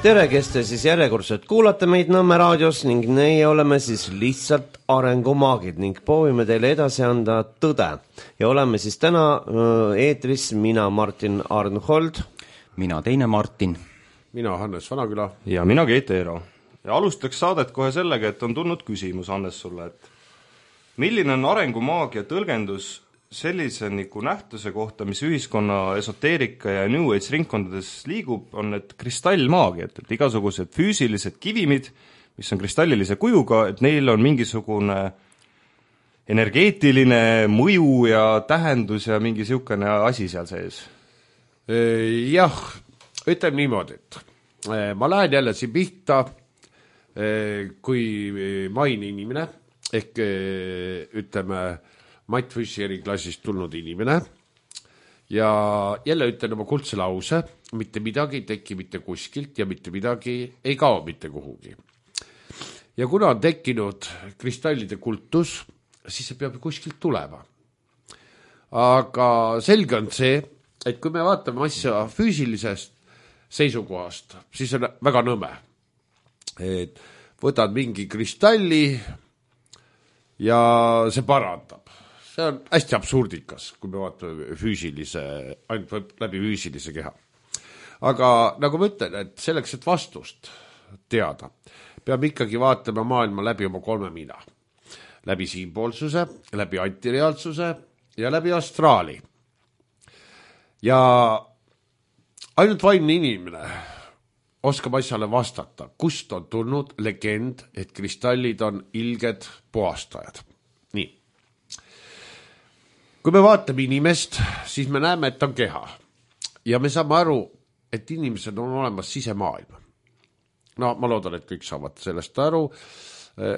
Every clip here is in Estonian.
Tere, kes te siis järjekordselt kuulate meid Nõmme raadios ning meie oleme siis lihtsalt arengumaagid ning proovime teile edasi anda tõde. Ja oleme siis täna eetris mina Martin Arnhold. Mina teine Martin. Mina Hannes Vanaküla. Ja mina Keit Eero. Ja alustaks saadet kohe sellega, et on tulnud küsimus, Hannes, sulle, et milline on arengumaagia tõlgendus sellise nähtuse kohta, mis ühiskonna esoteerika ja New Age ringkondades liigub, on need kristallmaagia, et igasugused füüsilised kivimid, mis on kristallilise kujuga, et neil on mingisugune energeetiline mõju ja tähendus ja mingi siukene asi seal sees. Jah, ütleme niimoodi, et ma lähen jälle siin pihta, kui maini inimene, ehk ütleme Matt Fischeri klassist tulnud inimene ja jälle ütlen oma kuldse lause, mitte midagi ei teki mitte kuskilt ja mitte midagi ei kao mitte kuhugi. Ja kuna on tekkinud kristallide kultus, siis see peab kuskilt tulema. Aga selge on see, et kui me vaatame asja füüsilisest seisukohast, siis on väga nõme. Et võtad mingi kristalli ja see parandab. See on hästi absurdikas, kui me vaatame ainult läbi füüsilise keha. Aga nagu ma ütlen, et selleks, et vastust teada, peab ikkagi vaatama maailma läbi oma 3 mina. Läbi siinpoolsuse, läbi antireaalsuse ja läbi astraali. Ja ainult vaimne inimene oskab asjale vastata, kust on tulnud legend, et kristallid on ilged puhastajad. Nii. Kui me vaatame inimest, siis me näeme, et ta on keha. Ja me saame aru, et inimesed on olemas sisemaailma. No ma loodan, et kõik saavad sellest aru.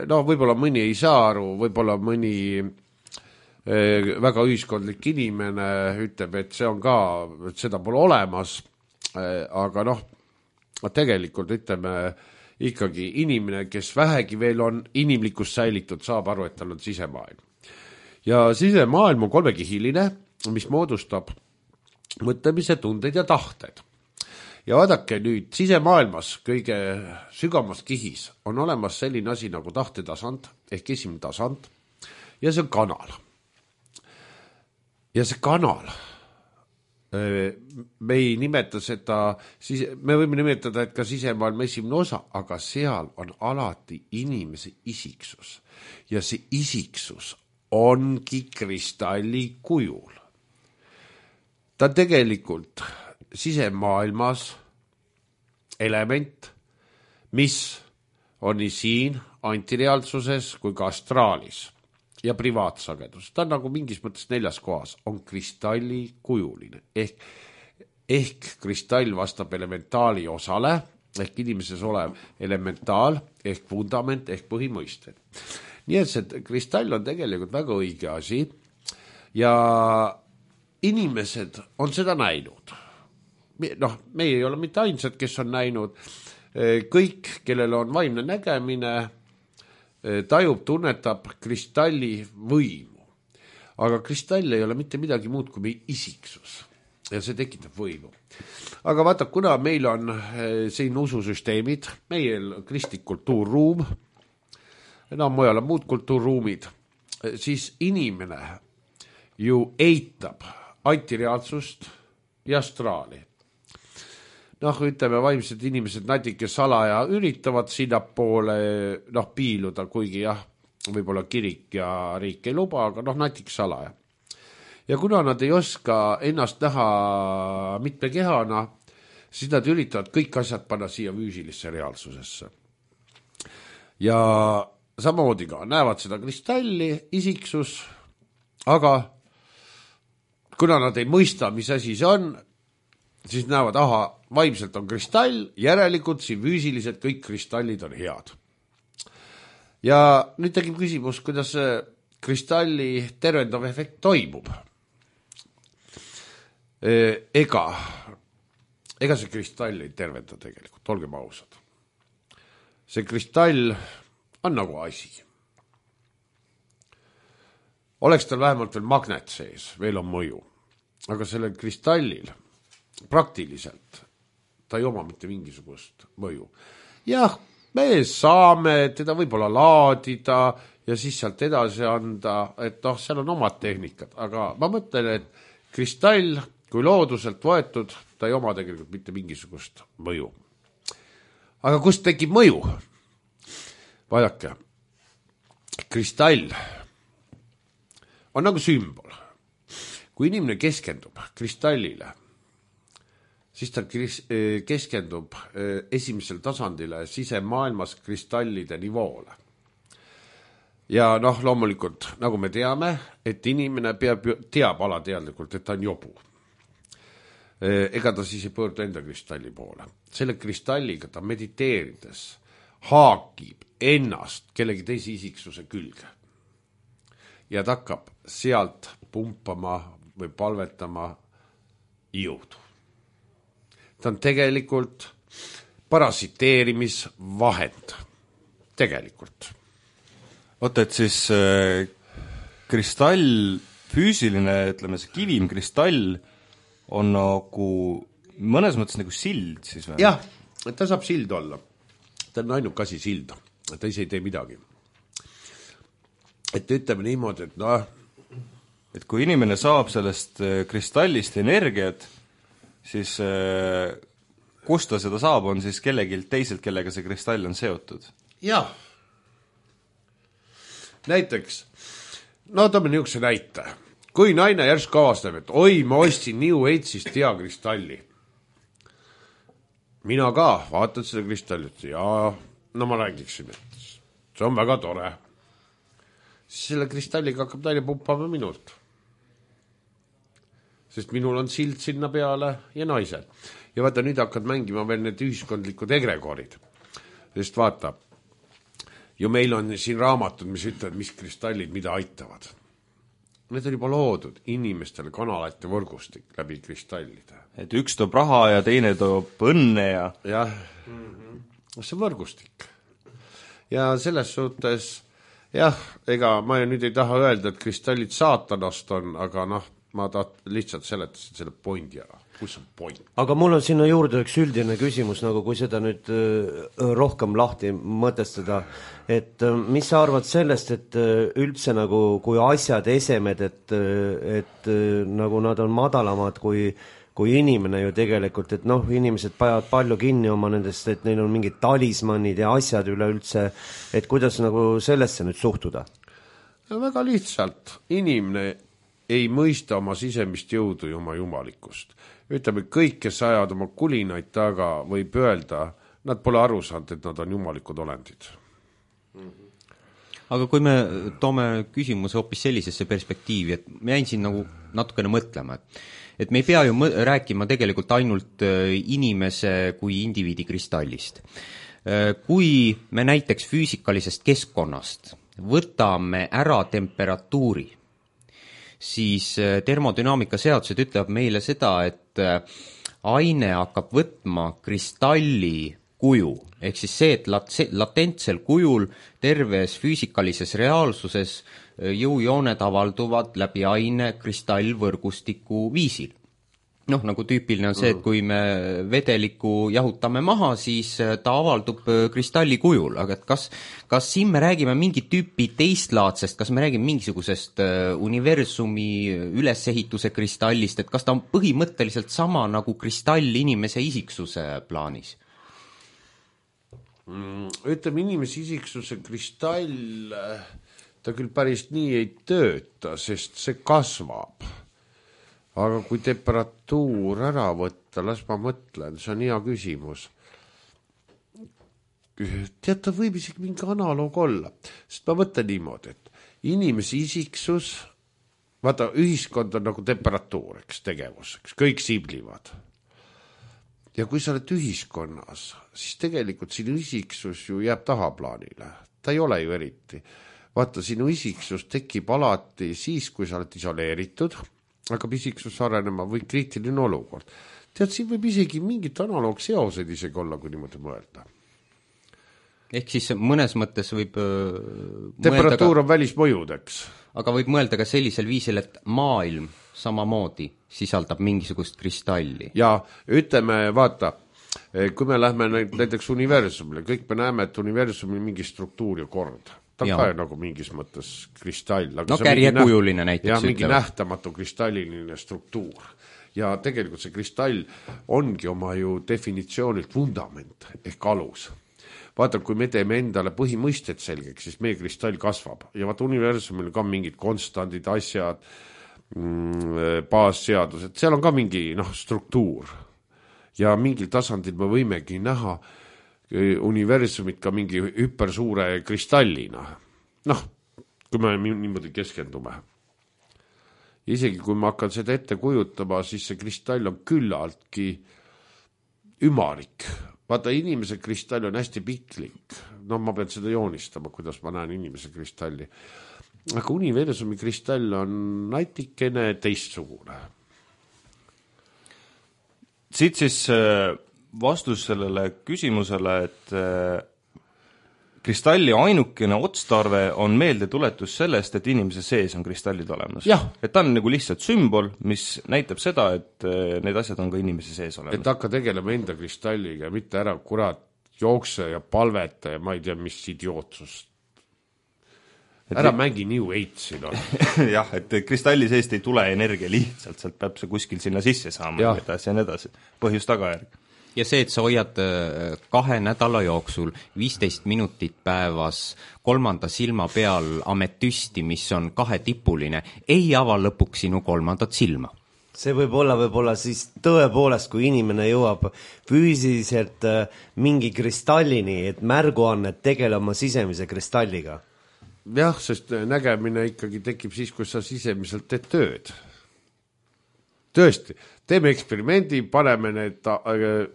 No võib-olla mõni ei saa aru, võib-olla mõni väga ühiskondlik inimene ütleb, et see on ka, et seda pole olemas. Aga tegelikult ütleme ikkagi inimene, kes vähegi veel on inimlikkust säilitud, saab aru, et tal on sisemaailm. Ja sisemaailm on 3-kihiline, mis moodustab mõtlemise, tunded ja tahted. Ja vaadake nüüd, sisemaailmas kõige sügavamas kihis on olemas selline asi nagu tahtetasand, ehk esimene tasand, ja see on kanal. Ja see kanal, me ei nimeta seda, me võime nimetada, et ka sisemaailma esimene osa, aga seal on alati inimese isiksus. Ja see isiksus ongi kristalli kujul. Ta tegelikult sisemaailmas element, mis on nii siin antireaalsuses kui ka astraalis ja privaatsagedus. Ta on nagu mingis mõttes 4. kohas, on kristalli kujuline. Ehk kristall vastab elementaali osale, ehk inimeses olev elementaal, ehk fundament, ehk põhimõisted. Nii et see kristall on tegelikult väga õige asi ja inimesed on seda näinud. Me ei ole mitte ainsad, kes on näinud. Kõik, kellel on vaimne nägemine, tajub, tunnetab kristalli võimu. Aga kristall ei ole mitte midagi muud kui meie isiksus ja see tekitab võimu. Aga vaata, kuna meil on siin ususüsteemid, meil kristlik kultuurruum, mujal on muud kultuurruumid, siis inimene ju eitab antireaalsust ja astraali. Ütleme, vaimsed inimesed natuke salaja üritavad sinna poole piiluda, kuigi jah, võib-olla kirik ja riik ei luba, aga natuke salaja. Ja kuna nad ei oska ennast näha mitme kehana, siis nad üritavad kõik asjad panna siia füüsilisse reaalsusesse. Ja samamoodi ka näevad seda kristalli, isiksus, aga kuna nad ei mõista, mis asi see on, siis näevad, vaimselt on kristall, järelikult siin füüsiliselt kõik kristallid on head. Ja nüüd tegime küsimus, kuidas kristalli tervendav efekt toimub. Ega see kristall ei tervenda tegelikult, olgem ausad. See kristall on nagu asi. Oleks tal vähemalt veel magnet sees, veel on mõju. Aga sellel kristallil praktiliselt ta ei oma mitte mingisugust mõju. Jah, me saame teda võib-olla laadida ja siis sealt edasi anda, et noh, seal on omad tehnikad, aga ma mõtlen, et kristall, kui looduselt võetud, ta ei oma tegelikult mitte mingisugust mõju. Aga kust tekib mõju? Vaadake, kristall on nagu sümbol. Kui inimene keskendub kristallile, siis ta keskendub esimesel tasandile sisemaailmas kristallide nivoole. Ja noh, loomulikult, nagu me teame, et inimene teab alateadlikult, et ta on jobu. Ega ta siis ei pöördu enda kristalli poole. Selle kristalliga ta mediteerides haakib ennast kellegi teise isiksuse külge. Ja ta hakkab sealt pumpama või palvetama jõudu. Ta on tegelikult parasiteerimisvahend. Tegelikult. Oota, et siis kristall, füüsiline, ütleme see kivimkristall on nagu mõnes mõttes nagu sild siis või? Jah, ta saab sild olla. Ta on ainuke asi sild. Ta ise ei tee midagi. Et ütleme niimoodi, et noh, et kui inimene saab sellest kristallist energiat, siis kust ta seda saab, on siis kellegi teiselt, kellega see kristall on seotud? Jah. Näiteks, no toome niisuguse näite. Kui naine järsku avastab, et oi, ma ostsin New Age'ist hea kristalli. Mina ka vaatan seda kristallit ja no ma räägiksin, et see on väga tore. Siis selle kristalliga hakkab naine pumpama minult. Sest minul on sild sinna peale ja naisel. Ja vaata, nüüd hakkad mängima veel need ühiskondlikud egregorid. Sest vaata, ju meil on siin raamatud, mis ütlevad, mis kristallid mida aitavad. Need on juba loodud inimestele kanalate võrgustik läbi kristallide. Et üks toob raha ja teine toob õnne ja... Jah, see võrgustik. Ja selles suhtes, jah, ega ma nüüd ei taha öelda, et kristallid saatanast on, aga noh, ma lihtsalt seletasin selle pointi ära. Kus on point? Aga mul on sinna juurde üks üldine küsimus, nagu kui seda nüüd rohkem lahti mõtestada, et mis sa arvad sellest, et üldse nagu kui asjad, esemed, et nagu nad on madalamad kui inimene ju tegelikult, et noh, inimesed panevad palju kinni oma nendest, et neil on mingid talismannid ja asjad üleüldse, et kuidas nagu sellesse nüüd suhtuda? Ja väga lihtsalt, inimene ei mõista oma sisemist jõudu ja oma jumalikkust. Ütleme, kõik, kes ajavad oma kulinaid taga, võib öelda, nad pole aru saanud, et nad on jumalikud olendid. Aga kui me toome küsimuse hoopis sellisesse perspektiivi, et me jäin siin nagu natukene mõtlema, et me ei pea ju rääkima tegelikult ainult inimese kui indiviidi kristallist. Kui me näiteks füüsikalisest keskkonnast võtame ära temperatuuri, siis termodünaamika seadused ütlevad meile seda, et aine hakkab võtma kristalli kuju, ehk siis see, et latentsel kujul terves füüsikalises reaalsuses jõujooned avalduvad läbi aine kristallvõrgustiku viisil. Noh, nagu tüüpiline on see, et kui me vedeliku jahutame maha, siis ta avaldub kristalli kujul, aga et kas siin me räägime mingit tüüpi teistlaadsest, kas me räägime mingisugusest universumi ülesehituse kristallist, et kas ta on põhimõtteliselt sama nagu kristall inimese isiksuse plaanis? Ütleme, inimese isiksuse kristall, ta küll päris nii ei tööta, sest see kasvab. Aga kui temperatuur ära võtta, las ma mõtlen, see on hea küsimus. Tead, ta võib isegi mingi analoog olla. Sest ma mõtlen niimoodi, et inimese isiksus, vaata, ühiskond on nagu temperatuur, eks, tegevus, eks, kõik siblivad. Ja kui sa oled ühiskonnas, siis tegelikult sinu isiksus ju jääb tahaplaanile. Ta ei ole ju eriti. Vaata, sinu isiksus tekib alati siis, kui sa oled isoleeritud, hakkab isiksus arenema või kriitiline olukord. Tead, siin võib isegi mingit analoog seoseid isegi olla, kui niimoodi mõelda. Ehk siis mõnes mõttes võib temperatuur on välismõjudeks. Aga võib mõelda ka sellisel viisil, et maailm samamoodi sisaldab mingisugust kristalli. Ja ütleme, vaata, kui me lähme näiteks universumile, kõik me näeme, et universumil mingi struktuur ja kord. Ta on ka nagu mingis mõttes kristall. No kärjekujuline näiteks jah, mingi nähtamatu kristalliline struktuur. Ja tegelikult see kristall ongi oma ju definitsioonilt vundament ehk alus. Vaata, kui me teeme endale põhimõisted selgeks, siis meie kristall kasvab. Ja vaata, universumil ka mingid konstandid, asjad, baasseadused, seal on ka mingi struktuur. Ja mingil tasandil me võimegi näha universumit ka mingi hüpersuure kristallina. Kui me niimoodi keskendume. Isegi kui ma hakkan seda ette kujutama, siis see kristall on küllaltki ümarik. Vaata, inimese kristall on hästi piklik. Ma pean seda joonistama, kuidas ma näen inimese kristalli. Aga universumi kristall on natikene teistsugune. Siit siis vastus sellele küsimusele, et kristalli ainukene otstarve on meeldetuletus sellest, et inimese sees on kristallid olemas. Et ta on nagu lihtsalt sümbol, mis näitab seda, et need asjad on ka inimese sees olemas. Et hakka tegelema enda kristalliga, mitte ära jookse ja palveta ja ma ei tea, mis idiootsust. Ära mängi New Age'il on. Jah, et kristalli seest ei tule energia lihtsalt, sealt peab see kuskil sinna sisse saama ja edasi. Põhjus tagajärg. Ja see, et sa hoiad 2 nädala jooksul 15 minutit päevas 3. silma peal ametüsti, mis on 2-tipuline, ei ava lõpuks sinu 3. silma. See võib olla siis tõepoolest, kui inimene jõuab füüsiliselt mingi kristallini, et märguannet tegele oma sisemise kristalliga. Jah, sest nägemine ikkagi tekib siis, kui sa sisemiselt teed tööd. Tõesti, teeme eksperimendi, paneme need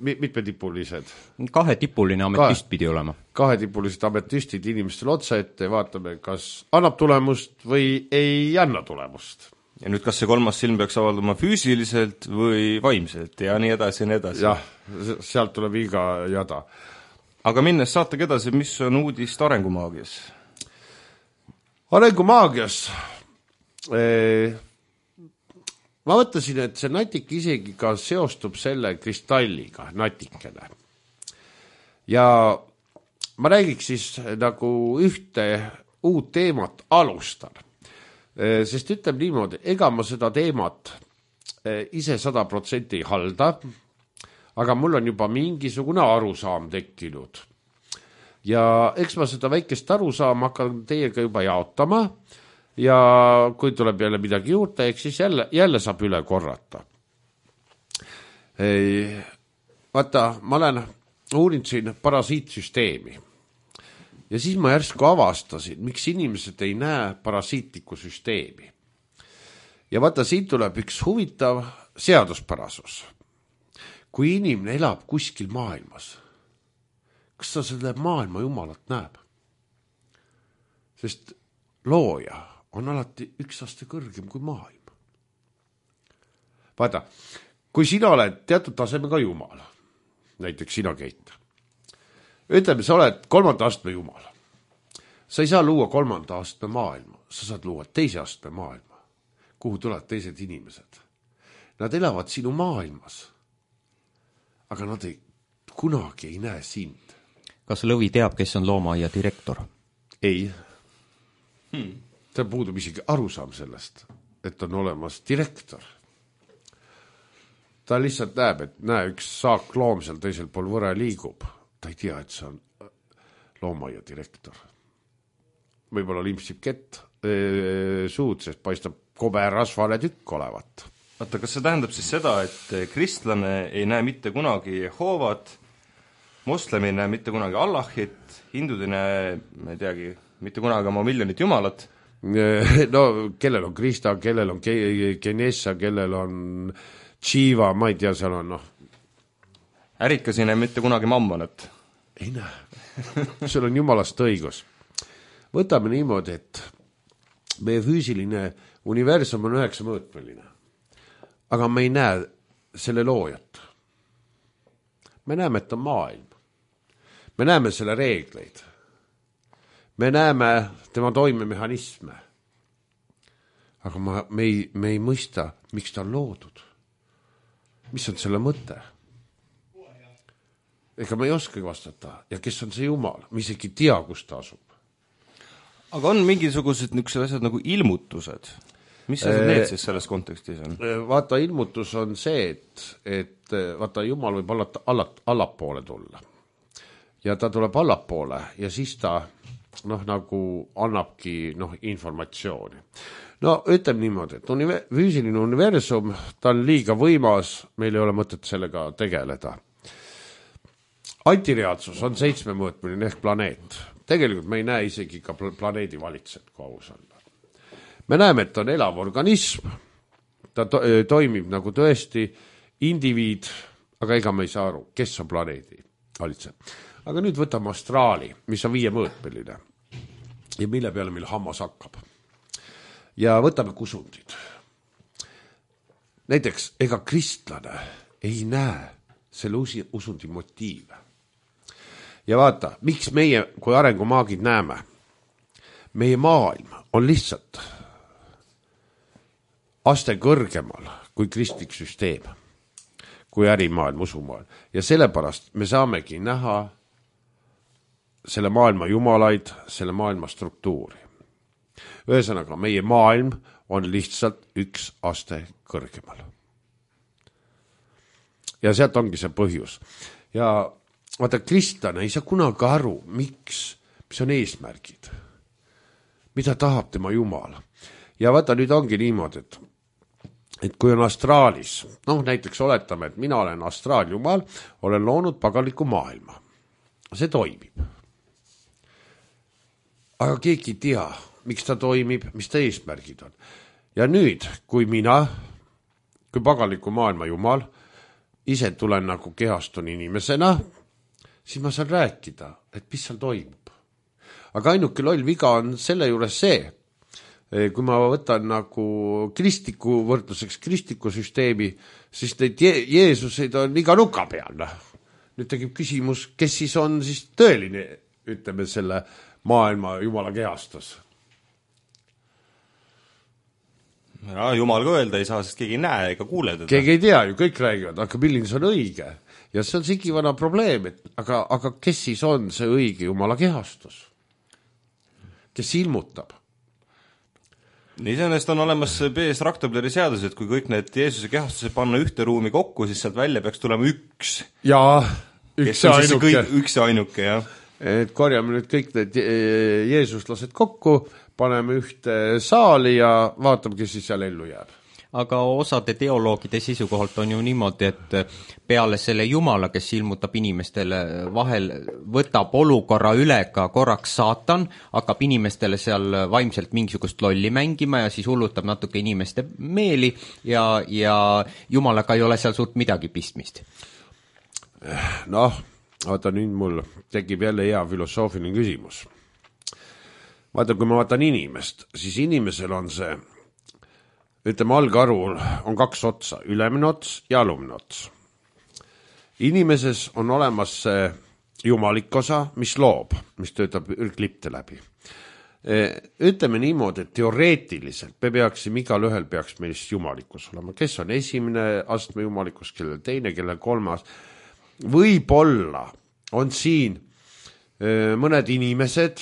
mitmetipulised. 2-tipuline ametüst pidi olema. 2-tipulised ametüstid inimestele otsa ette, vaatame, kas annab tulemust või ei anna tulemust. Ja nüüd kas see 3. silm peaks avalduma füüsiliselt või vaimselt ja nii edasi ja nii edasi. Jah, sealt tuleb iga jada. Aga minnes saatega edasi, mis on uudist arengumaagias? Arengumaagias ma mõtlesin, et see natik isegi ka seostub selle kristalliga, natikene. Ja ma räägiks siis nagu ühte uut teemat alustan. Sest ütleb niimoodi, ega ma seda teemat ise 100% ei halda, aga mul on juba mingisugune arusaam tekkinud. Ja eks ma seda väikest arusaam hakkan teiega juba jaotama ja kui tuleb jälle midagi juurde, eks siis jälle saab üle korrata. Vaata, ma olen uurinud siin parasiitsüsteemi ja siis ma järsku avastasin, miks inimesed ei näe parasiitlikku süsteemi. Ja vaata, siin tuleb üks huvitav seaduspärasus. Kui inimene elab kuskil maailmas, kas ta selle maailma jumalat näeb? Sest looja on alati 1 aste kõrgem kui maailm. Vaata, kui sina oled teatud tasemega jumal, näiteks sina, Keit, ütleme, sa oled 3. astme jumal. Sa ei saa luua 3. astme maailma, sa saad luua 2. astme maailma, kuhu tulevad teised inimesed. Nad elavad sinu maailmas, aga nad kunagi ei näe sind. Kas Lõvi teab, kes on loomaaia direktor? Ei. Ta puudub isegi arusaam sellest, et on olemas direktor. Ta lihtsalt näeb, et üks saak loom seal teisel pool võre liigub. Ta ei tea, et see on loomaaia direktor. Võib-olla limpsib kett suud, sest paistab koberasvale tükk olevat. Vaata, kas see tähendab siis seda, et kristlane ei näe mitte kunagi Jehovat, moslem ei näe mitte kunagi Allahit, hindud ei näe, ma ei teagi, mitte kunagi oma miljonit jumalat? No, kellel on Krista, kellel on Genessa, kellel on Shiva, ma ei tea, seal on Ärikas ei näe mitte kunagi mammonat? Ei näe. Seal on jumalast õigus. Võtame niimoodi, et meie füüsiline universum on 9-mõõtmeline. Aga me ei näe selle loojat. Me näeme, et on maailm. Me näeme selle reegleid. Me näeme tema toimemehhanisme. Aga me ei mõista, miks ta on loodud. Mis on selle mõte? ega ma ei oskagi vastata. Ja kes on see Jumal? Ma isegi tea, kus ta asub. aga on mingisugused niisugused asjad nagu ilmutused? Mis asjad need siis selles kontekstis on? Vaata, ilmutus on see, et vaata, Jumal võib allapoole tulla. Ja ta tuleb allapoole ja siis ta nagu annabki informatsiooni. No ütleme niimoodi, et füüsiline universum, ta on liiga võimas, meil ei ole mõtet sellega tegeleda. Antireaalsus on 7-mõõtmeline ehk planeet. Tegelikult me ei näe isegi ka planeedi valitsejat, kui aus olla. Me näeme, et on elav organism, ta toimib nagu tõesti indiviid, aga ega me ei saa aru, kes on planeedi valitsejad. Aga nüüd võtame astraali, mis on 5-mõõtmeline ja mille peale meil hammas hakkab. Ja võtame kusundid. Näiteks, ega kristlane ei näe selle usundi motiive. Ja vaata, miks meie kui arengumaagid näeme? Meie maailm on lihtsalt aste kõrgemal kui kristlik süsteem, kui ärimaailm, usumaailm. Ja sellepärast me saamegi näha selle maailma jumalaid, selle maailma struktuuri. Ühesõnaga, meie maailm on lihtsalt üks aste kõrgemal. Ja sealt ongi see põhjus. Ja vaata, kristlane ei saa kunagi aru, mis on eesmärgid. Mida tahab tema Jumal. Ja vaata, nüüd ongi niimoodi, et kui on astraalis, näiteks oletame, et mina olen astraaljumal, olen loonud paganliku maailma. See toimib. Aga keegi ei tea, miks ta toimib, mis ta eesmärgid on. Ja nüüd, kui paganliku maailma Jumal, ise tulen nagu kehastun inimesena, siis ma saan rääkida, et mis seal toimub. Aga ainuke loll viga on selle juures see, kui ma võtan nagu kristliku võrdluseks kristliku süsteemi, siis neid Jeesuseid on iga nuka peal. Nüüd tegib küsimus, kes siis on siis tõeline, ütleme selle maailma Jumala kehastus. Ja, Jumal ka öelda ei saa, sest keegi ei näe ega kuule teda. Keegi ei tea ju, kõik räägivad, aga milline see on õige. Ja see on sigivana probleem, aga kes siis on see õige Jumala kehastus? Kes ilmutab? Iseenesest on olemas B.S. Raktobleri seadus, et kui kõik need Jeesuse kehastuse panna ühte ruumi kokku, siis sealt välja peaks tulema üks. Jaa, üks ja ainuke, jah. Et korjame nüüd kõik need jeesuslased kokku, paneme ühte saali ja vaatame, kes siis seal ellu jääb. Aga osade teoloogide seisukohalt on ju niimoodi, et peale selle Jumala, kes ilmutab inimestele vahel, võtab olukorra üle ka korraks saatan, hakkab inimestele seal vaimselt mingisugust lolli mängima ja siis hullutab natuke inimeste meeli ja Jumalaga ei ole seal suurt midagi pistmist. Vaata, nüüd mul tekib jälle hea filosoofiline küsimus. Vaata, kui ma vaatan inimest, siis inimesel on see, ütleme, algarul on 2 otsa, ülemine ots ja alumine ots. Inimeses on olemas see jumalik osa, mis loob, mis töötab klipte läbi. Ütleme niimoodi, et teoreetiliselt me peaksime, igal ühel peaks meist jumalikus olema. Kes on esimene astme jumalikus, kellel teine, kellel 3. Võib-olla on siin mõned inimesed,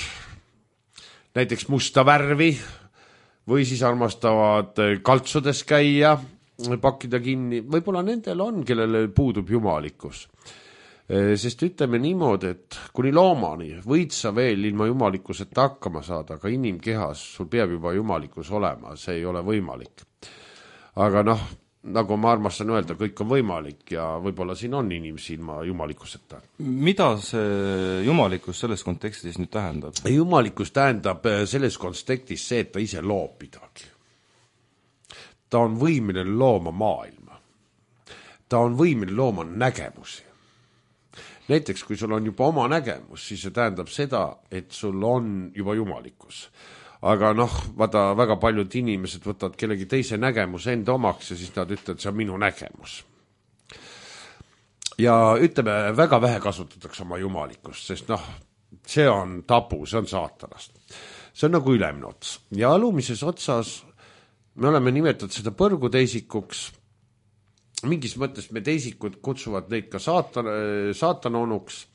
näiteks musta värvi, või siis armastavad kaltsudes käia, pakkida kinni. Võib-olla nendel on, kellele puudub jumalikkus. Sest ütleme niimoodi, et kuni loomani võid sa veel ilma jumalikkuseta hakkama saada, aga inimkehas sul peab juba jumalikkus olema, see ei ole võimalik. Aga nagu ma armastan öelda, kõik on võimalik ja võib-olla siin on inimesi ilma jumalikkuseta. Mida see jumalikkus selles kontekstis nüüd tähendab? Jumalikkus tähendab selles kontekstis see, et ta ise loob midagi. Ta on võimeline looma maailma. Ta on võimeline looma nägemusi. Näiteks, kui sul on juba oma nägemus, siis see tähendab seda, et sul on juba jumalikkus. Aga vaata, väga paljud inimesed võtavad kellegi teise nägemuse enda omaks ja siis nad ütlevad, see on minu nägemus. Ja ütleme, väga vähe kasutatakse oma jumalikkust, sest see on tabu, see on saatanast. See on nagu ülemine ots. Ja alumises otsas me oleme nimetanud seda põrguteisikuks mingis mõttes meteisikud kutsuvad neid ka saatana onuks.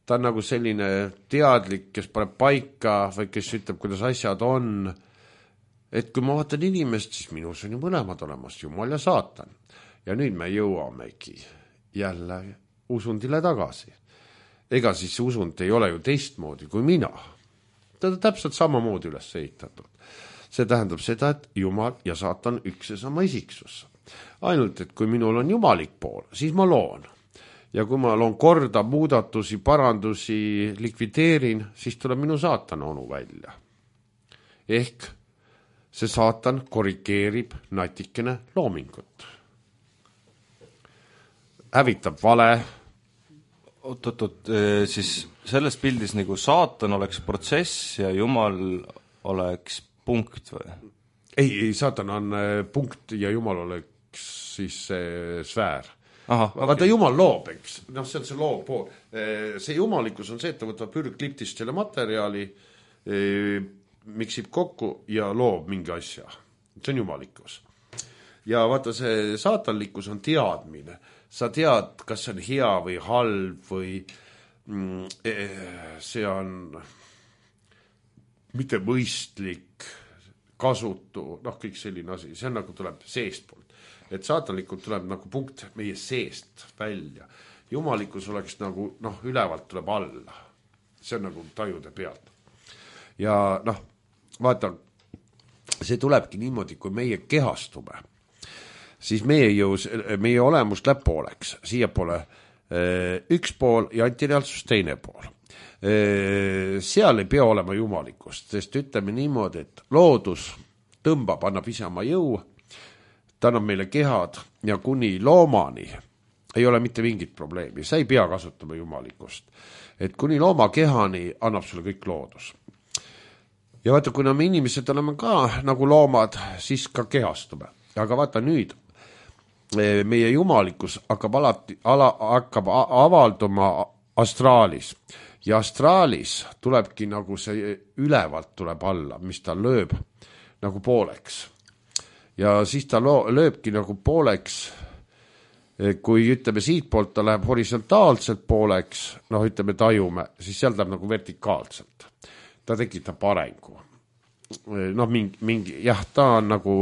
Ta on nagu selline teadlik, kes paneb paika või kes ütleb, kuidas asjad on. Et kui ma vaatan inimest, siis minus on ju mõlemad olemas, Jumal ja saatan. Ja nüüd me jõuamegi jälle usundile tagasi. Ega siis usund ei ole ju teistmoodi kui mina. Ta on täpselt samamoodi üles ehitatud. See tähendab seda, et Jumal ja saatan üks ja sama isiksus. Ainult, et kui minul on jumalik pool, siis ma loon. Ja kui ma loon korda, muudatusi, parandusi, likvideerin, siis tuleb minu saatana onu välja. Ehk see saatan korrigeerib natikene loomingut. Hävitab vale. Oot, siis selles pildis nagu saatan oleks protsess ja Jumal oleks punkt või? Ei, saatan on punkt ja Jumal oleks siis sfäär. Vaata, Jumal loob, eks. No see on see loob pool. See jumalikkus on see, et ta võtab pürgkliptist selle materjali, miksib kokku ja loob mingi asja. See on jumalikkus. Ja vaata, see saatanlikkus on teadmine. Sa tead, kas see on hea või halb või see on mitte mõistlik, kasutu, kõik selline asi. See on nagu tuleb seest poolt. Et saatanlikult tuleb nagu punkt meie seest välja. Jumalikkus oleks nagu, ülevalt tuleb alla. See on nagu tajude pealt. Ja vaata, see tulebki niimoodi, kui meie kehastume, siis meie olemus läheb pooleks. Siia poole üks pool ja antireaalsus teine pool. Seal ei pea olema jumalikkust, sest ütleme niimoodi, et loodus tõmbab, annab ise oma jõu, ta annab meile kehad ja kuni loomani ei ole mitte mingit probleemi. Sa ei pea kasutama jumalikkust. Et kuni looma kehani annab sulle kõik loodus. Ja vaata, kuna me inimesed oleme ka nagu loomad, siis ka kehastume. Aga vaata nüüd, meie jumalikkus hakkab avalduma astraalis. Ja astraalis tulebki nagu see ülevalt tuleb alla, mis ta lööb nagu pooleks. Ja siis ta lööbki nagu pooleks, kui ütleme siit poolt ta läheb horisontaalselt pooleks, ütleme tajume, siis seal läheb nagu vertikaalselt. Ta tekitab arengu. Ta on nagu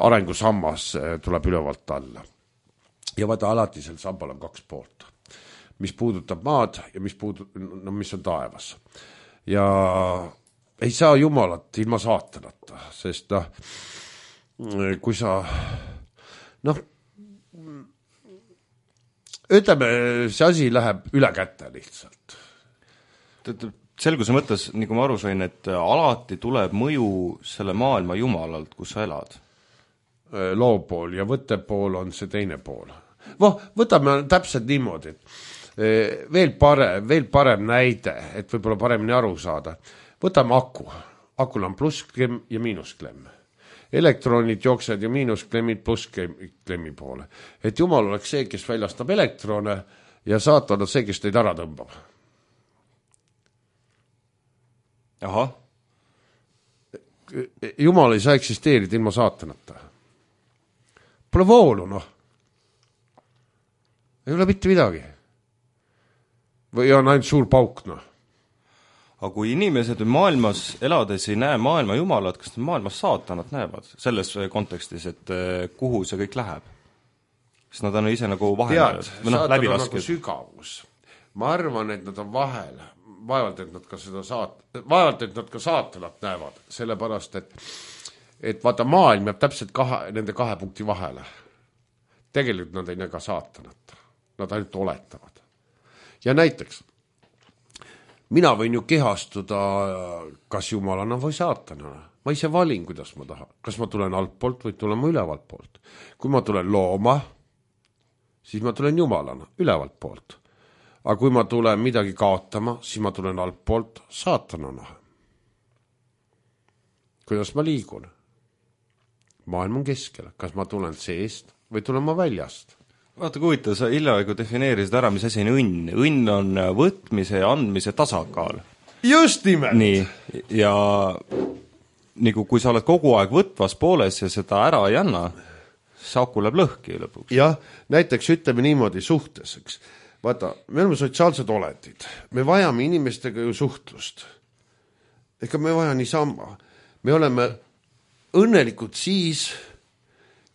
arengusammas tuleb ülevalt alla. Ja vaata, alati sel sambal on kaks poolt, mis puudutab maad ja mis on taevas. Ja ei saa Jumalat ilma saatanata, sest kui sa ütleme, see asi läheb üle kätte lihtsalt. Selguse mõttes, nagu ma aru sain, et alati tuleb mõju selle maailma jumalalt, kus sa elad. Loopool ja võttepool on see teine pool. Võtame täpselt niimoodi, et veel parem näide, et võib-olla paremini aru saada. Võtame aku. Akul on plussklemm ja miinusklemm. Elektronid jooksed ja miinusklemmid plussklemmi poole. Et Jumal oleks see, kes väljastab elektrone ja saatan on see, kes teid ära tõmbab. Aha. Jumal ei saa eksisteerida ilma saatanata. Pole voolu, Ei ole mitte midagi. Või on ainult suur pauk, Aga kui inimesed maailmas elades ei näe maailma jumalat, kas nad maailmas saatanat näevad selles kontekstis, et kuhu see kõik läheb? Sest nad on ise nagu vahel saatan on nagu sügavus. Ma arvan, et nad on vahel. Vaevalt, et nad ka saatanat näevad. Sellepärast, et vaata maailm jääb täpselt nende kahe punkti vahele. Tegelikult nad ei näe ka saatanat. Nad ainult oletavad. Ja näiteks mina võin ju kehastuda kas jumalana või saatanana. Ma ise valin, kuidas ma tahan. Kas ma tulen altpoolt või tulen ma ülevalt poolt. Kui ma tulen looma, siis ma tulen jumalana, ülevalt poolt. Aga kui ma tulen midagi kaotama, siis ma tulen altpoolt saatanana. Kuidas ma liigun? Maailm on keskel. Kas ma tulen seest või tulen ma väljast? Vaata, kui huvitav, sa hiljaaegu defineerisid ära, mis asi on õnn. Õnn on võtmise ja andmise tasakaal. Just nimelt! Nii, ja nagu kui sa oled kogu aeg võtvas pooles ja seda ära ei anna, Saku läheb lõhki lõpuks. jah, näiteks ütleme niimoodi suhtes, eks. Vaata, me oleme sotsiaalsed olendid. Me vajame inimestega ju suhtlust. Ega me vaja niisama. Me oleme õnnelikud siis,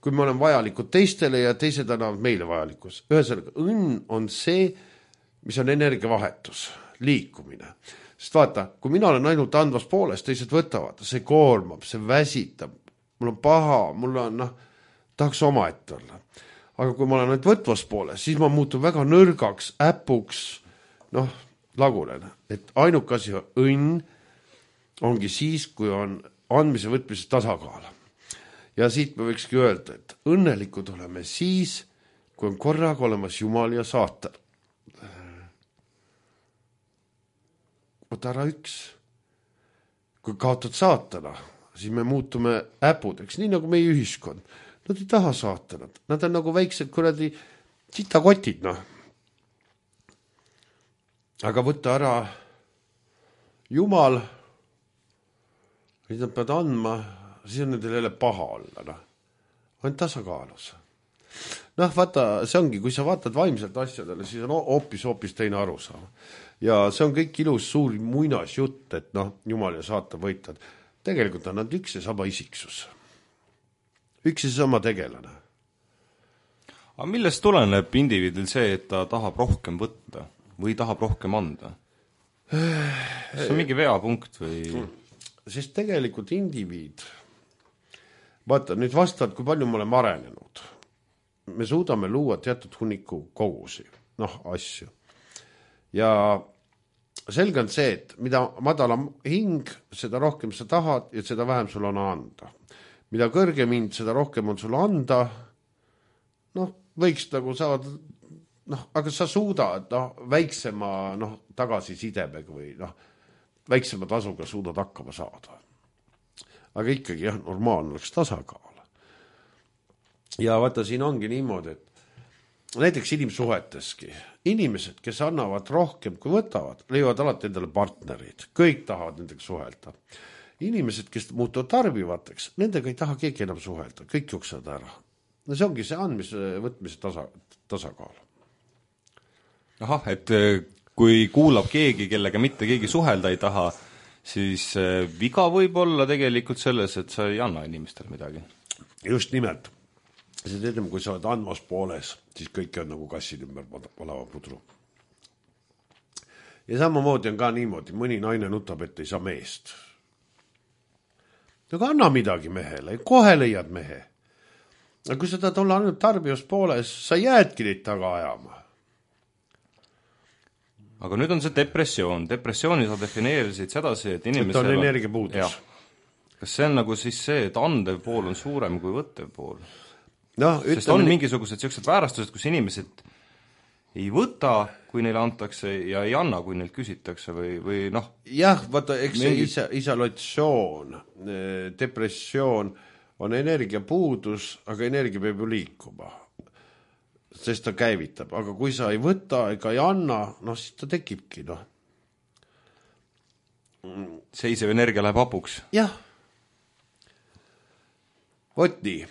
kui me oleme vajalikud teistele ja teised annavad meile vajalikus. Ühesõnaga, õnn on see, mis on energiavahetus, liikumine. Sest vaata, kui mina olen ainult andvas pooles, teised võtavad, see koormab, see väsitab, mul on paha, mul on, tahaks omaette olla. Aga kui ma olen ainult võtvas pooles, siis ma muutun väga nõrgaks, äpuks, lagunen. Et ainuke asi õnn ongi siis, kui on andmise võtmise tasakaal. Ja siit me võikski öelda, et õnnelikud oleme siis, kui on korraga olemas Jumal ja saatan. Võta ära üks. Kui kaotad saatana, siis me muutume äpudeks, nii nagu meie ühiskond. Nad ei taha saatanat. Nad on nagu väiksed kuradi sitakotid, Aga võtta ära Jumal, mida nad peavad andma, siis on nendel jälle paha olla, on tasakaalus. Vaata, see ongi, kui sa vaatad vaimselt asjadele, siis on hoopis teine arusaam. Ja see on kõik ilus suur muinas jutt, et Jumal ja saatan võitvad. Tegelikult on nad üks ja sama isiksus. Üks ja sama tegelane. Aga millest tuleneb indiviidil see, et ta tahab rohkem võtta või tahab rohkem anda? See on mingi veapunkt või? Sest tegelikult indiviid, vaata, nüüd vastavalt, kui palju me oleme arenenud. Me suudame luua teatud hunniku kogusi, asju. Ja selge on see, et mida madalam hing, seda rohkem sa tahad ja seda vähem sul on anda. Mida kõrgem hind, seda rohkem on sul anda. Võiks nagu saada, aga sa suudad väiksema tagasisidemega või väiksema tasuga suudad hakkama saada. Aga ikkagi normaalne oleks tasakaal. Ja vaata, siin ongi niimoodi, et näiteks inimsuheteski. Inimesed, kes annavad rohkem kui võtavad, leiavad alati endale partnerid. Kõik tahavad nendega suhelda. Inimesed, kes muutuvad tarbivateks, nendega ei taha keegi enam suhelda. Kõik juksavad ära. See ongi see andmise võtmise tasakaal. Ahah, et kui kuulab keegi, kellega mitte keegi suhelda ei taha, siis viga võib olla tegelikult selles, et sa ei anna inimestele midagi. Just nimelt. See teedem, kui sa oled andmas pooles, siis kõik on nagu kassid ümber palava pudru. Ja samamoodi on ka niimoodi, mõni naine nutab, et ei saa meest. Aga anna midagi mehele, kohe leiad mehe. Aga kui sa tahad olla ainult tarbijast pooles, sa jäädki neid taga ajama. Aga nüüd on see depressioon. Depressiooni sa defineerisid sedasi, et inimesel on energiapuudus. Kas see on nagu siis see, et andev pool on suurem kui võttev pool? Sest on mingisugused sellised väärastused, kus inimesed ei võta, kui neile antakse, ja ei anna, kui neilt küsitakse või Jah, vaata, eks see isolatsioon, depressioon on energiapuudus, aga energia peab ju liikuma. Sest ta käivitab, aga kui sa ei võta ega ei anna, siis ta tekibki, Seisev energia läheb hapuks. Jah. Vot nii.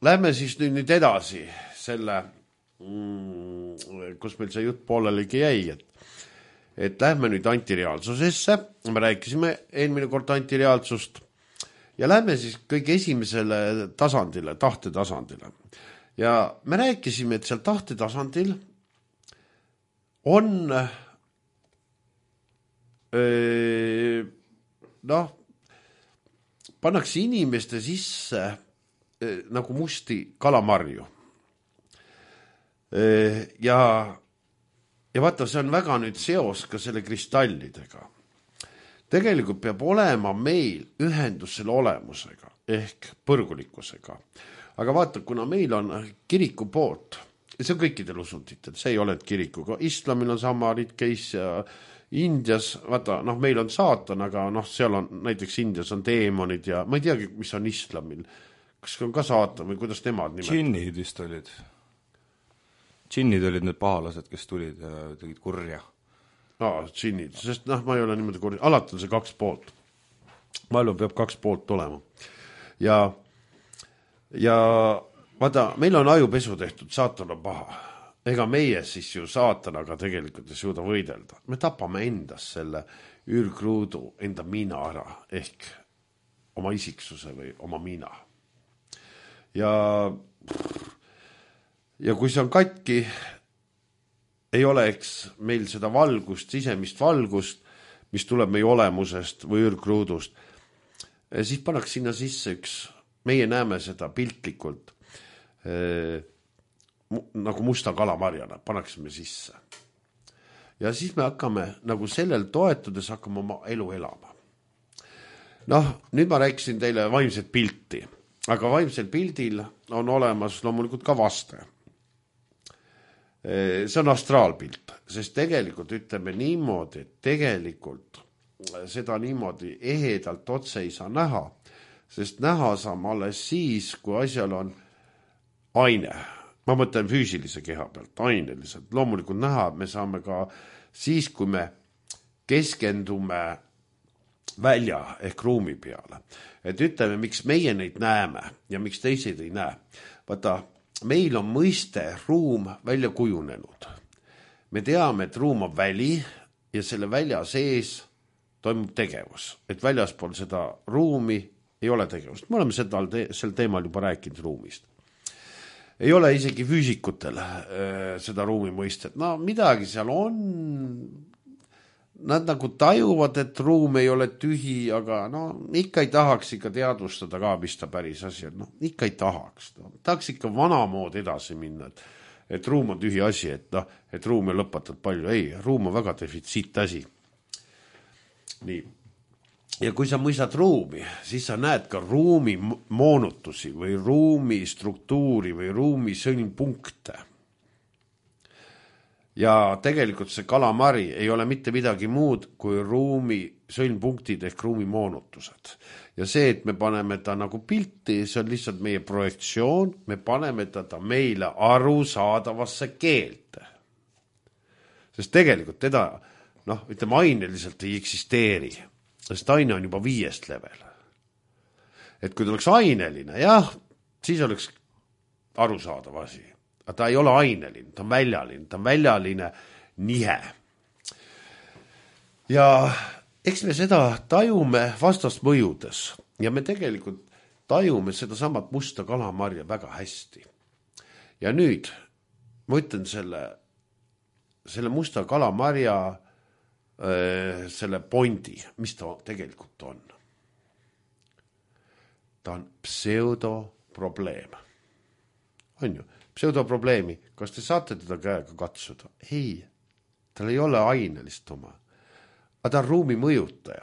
Lähme siis nüüd edasi selle, kus meil see jutt poolelegi jäi, et lähme nüüd antireaalsusesse, me rääkisime eelmine kord antireaalsust, ja lähme siis kõige esimesele tasandile, tahtetasandile. Ja me rääkisime, et seal tahtetasandil on pannakse inimeste sisse nagu musti kalamarju. Ja vaata, see on väga nüüd seos ka selle kristallidega. Tegelikult peab olema meil ühendus selle olemusega ehk põrgulikkusega. Aga vaata, kuna meil on kiriku poolt, see on kõikidel usunditel, see ei ole kirikuga, islamil on sama case ja Indias, vaata, meil on saatan, aga seal on, näiteks Indias on teemonid ja ma ei teagi, mis on islamil. Kas on ka saatan või kuidas nemad nimetavad? Džinnid vist olid. Džinnid olid need pahalased, kes tulid ja tegid kurja. Džinnid, sest ma ei ole niimoodi kurja. Alati on see 2 poolt. Maailma peab 2 poolt olema. Ja vaata, meil on ajupesu tehtud, saatan on paha. Ega meie siis ju saatanaga tegelikult ei suuda võidelda. Me tapame endas selle ürgruudu enda mina ära, ehk oma isiksuse või oma mina. Ja kui see on katki, ei oleks meil seda valgust, sisemist valgust, mis tuleb meie olemusest või ürgruudust, siis pannaks sinna sisse üks, meie näeme seda piltlikult, nagu musta kalamarjana, pannaksime sisse. Ja siis me hakkame nagu sellel toetudes hakkame oma elu elama. Noh, nüüd ma rääkisin teile vaimset pilti, aga vaimsel pildil on olemas loomulikult ka vaste. See on astraalpilt, sest tegelikult ütleme niimoodi, et tegelikult seda niimoodi ehedalt otse ei saa näha, sest näha saame alles siis, kui asjal on aine. Ma mõtlen füüsilise keha pealt, aineliselt. Loomulikult näha me saame ka siis, kui me keskendume välja ehk ruumi peale. Et ütleme, miks meie neid näeme ja miks teised ei näe. Vaata, meil on mõiste ruum välja kujunenud. Me teame, et ruum on väli ja selle välja sees toimub tegevus. Et väljaspool seda ruumi ei ole tegevust. Me oleme sel teemal juba rääkinud ruumist. Ei ole isegi füüsikutel seda ruumi mõistet. No midagi seal on. Nad nagu tajuvad, et ruum ei ole tühi, aga no ikka ei tahaks ikka teadvustada ka, mis ta päris asi on. No, ikka ei tahaks. No. Tahaks ikka vanamood edasi minna, et ruum on tühi asi, et ruum on lõpatult palju. Ei, ruum on väga defitsiit asi. Nii. Ja kui sa mõistad ruumi, siis sa näed ka ruumi moonutusi või ruumi struktuuri või ruumi sõlmpunkte. Ja tegelikult see kalamari ei ole mitte midagi muud kui ruumi sõlmpunktid ehk ruumi moonutused. Ja see, et me paneme ta nagu pilti, see on lihtsalt meie projektsioon, me paneme ta meile arusaadavasse keelte. Sest tegelikult teda, ütleme, aineliselt ei eksisteeri, sest aine on juba 5. level. Et kui ta oleks aineline, jah, siis oleks arusaadav asi. Ta ei ole aineline, ta on väljaline nihe. Ja eks me seda tajume vastast mõjudes ja me tegelikult tajume seda samat musta kalamarja väga hästi. Ja nüüd ma ütlen selle musta kalamarja selle pointi, mis ta tegelikult on. Ta on pseudoprobleem. On ju? Pseudoprobleemi, kas te saate teda käega katsuda? Ei, tal ei ole ainelist oma. Aga ta on ruumi mõjutaja.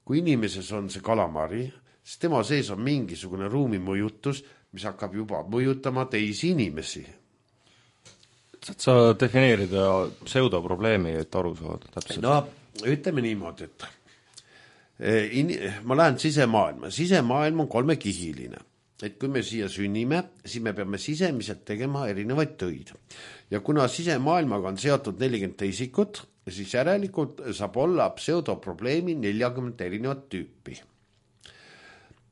Kui inimeses on see kalamari, siis tema sees on mingisugune ruumi mõjutus, mis hakkab juba mõjutama teisi inimesi. Saad sa defineerida pseudoprobleemi, et aru saada täpselt? No, ütleme niimoodi, et ma lähen sisemaailma. Sisemaailm on 3-kihiline. Et kui me siia sünnime, siis me peame sisemiselt tegema erinevaid töid. Ja kuna sisemaailmaga on seotud 40 teisikut, siis järelikult saab olla pseudoprobleemi 40 erinevat tüüpi.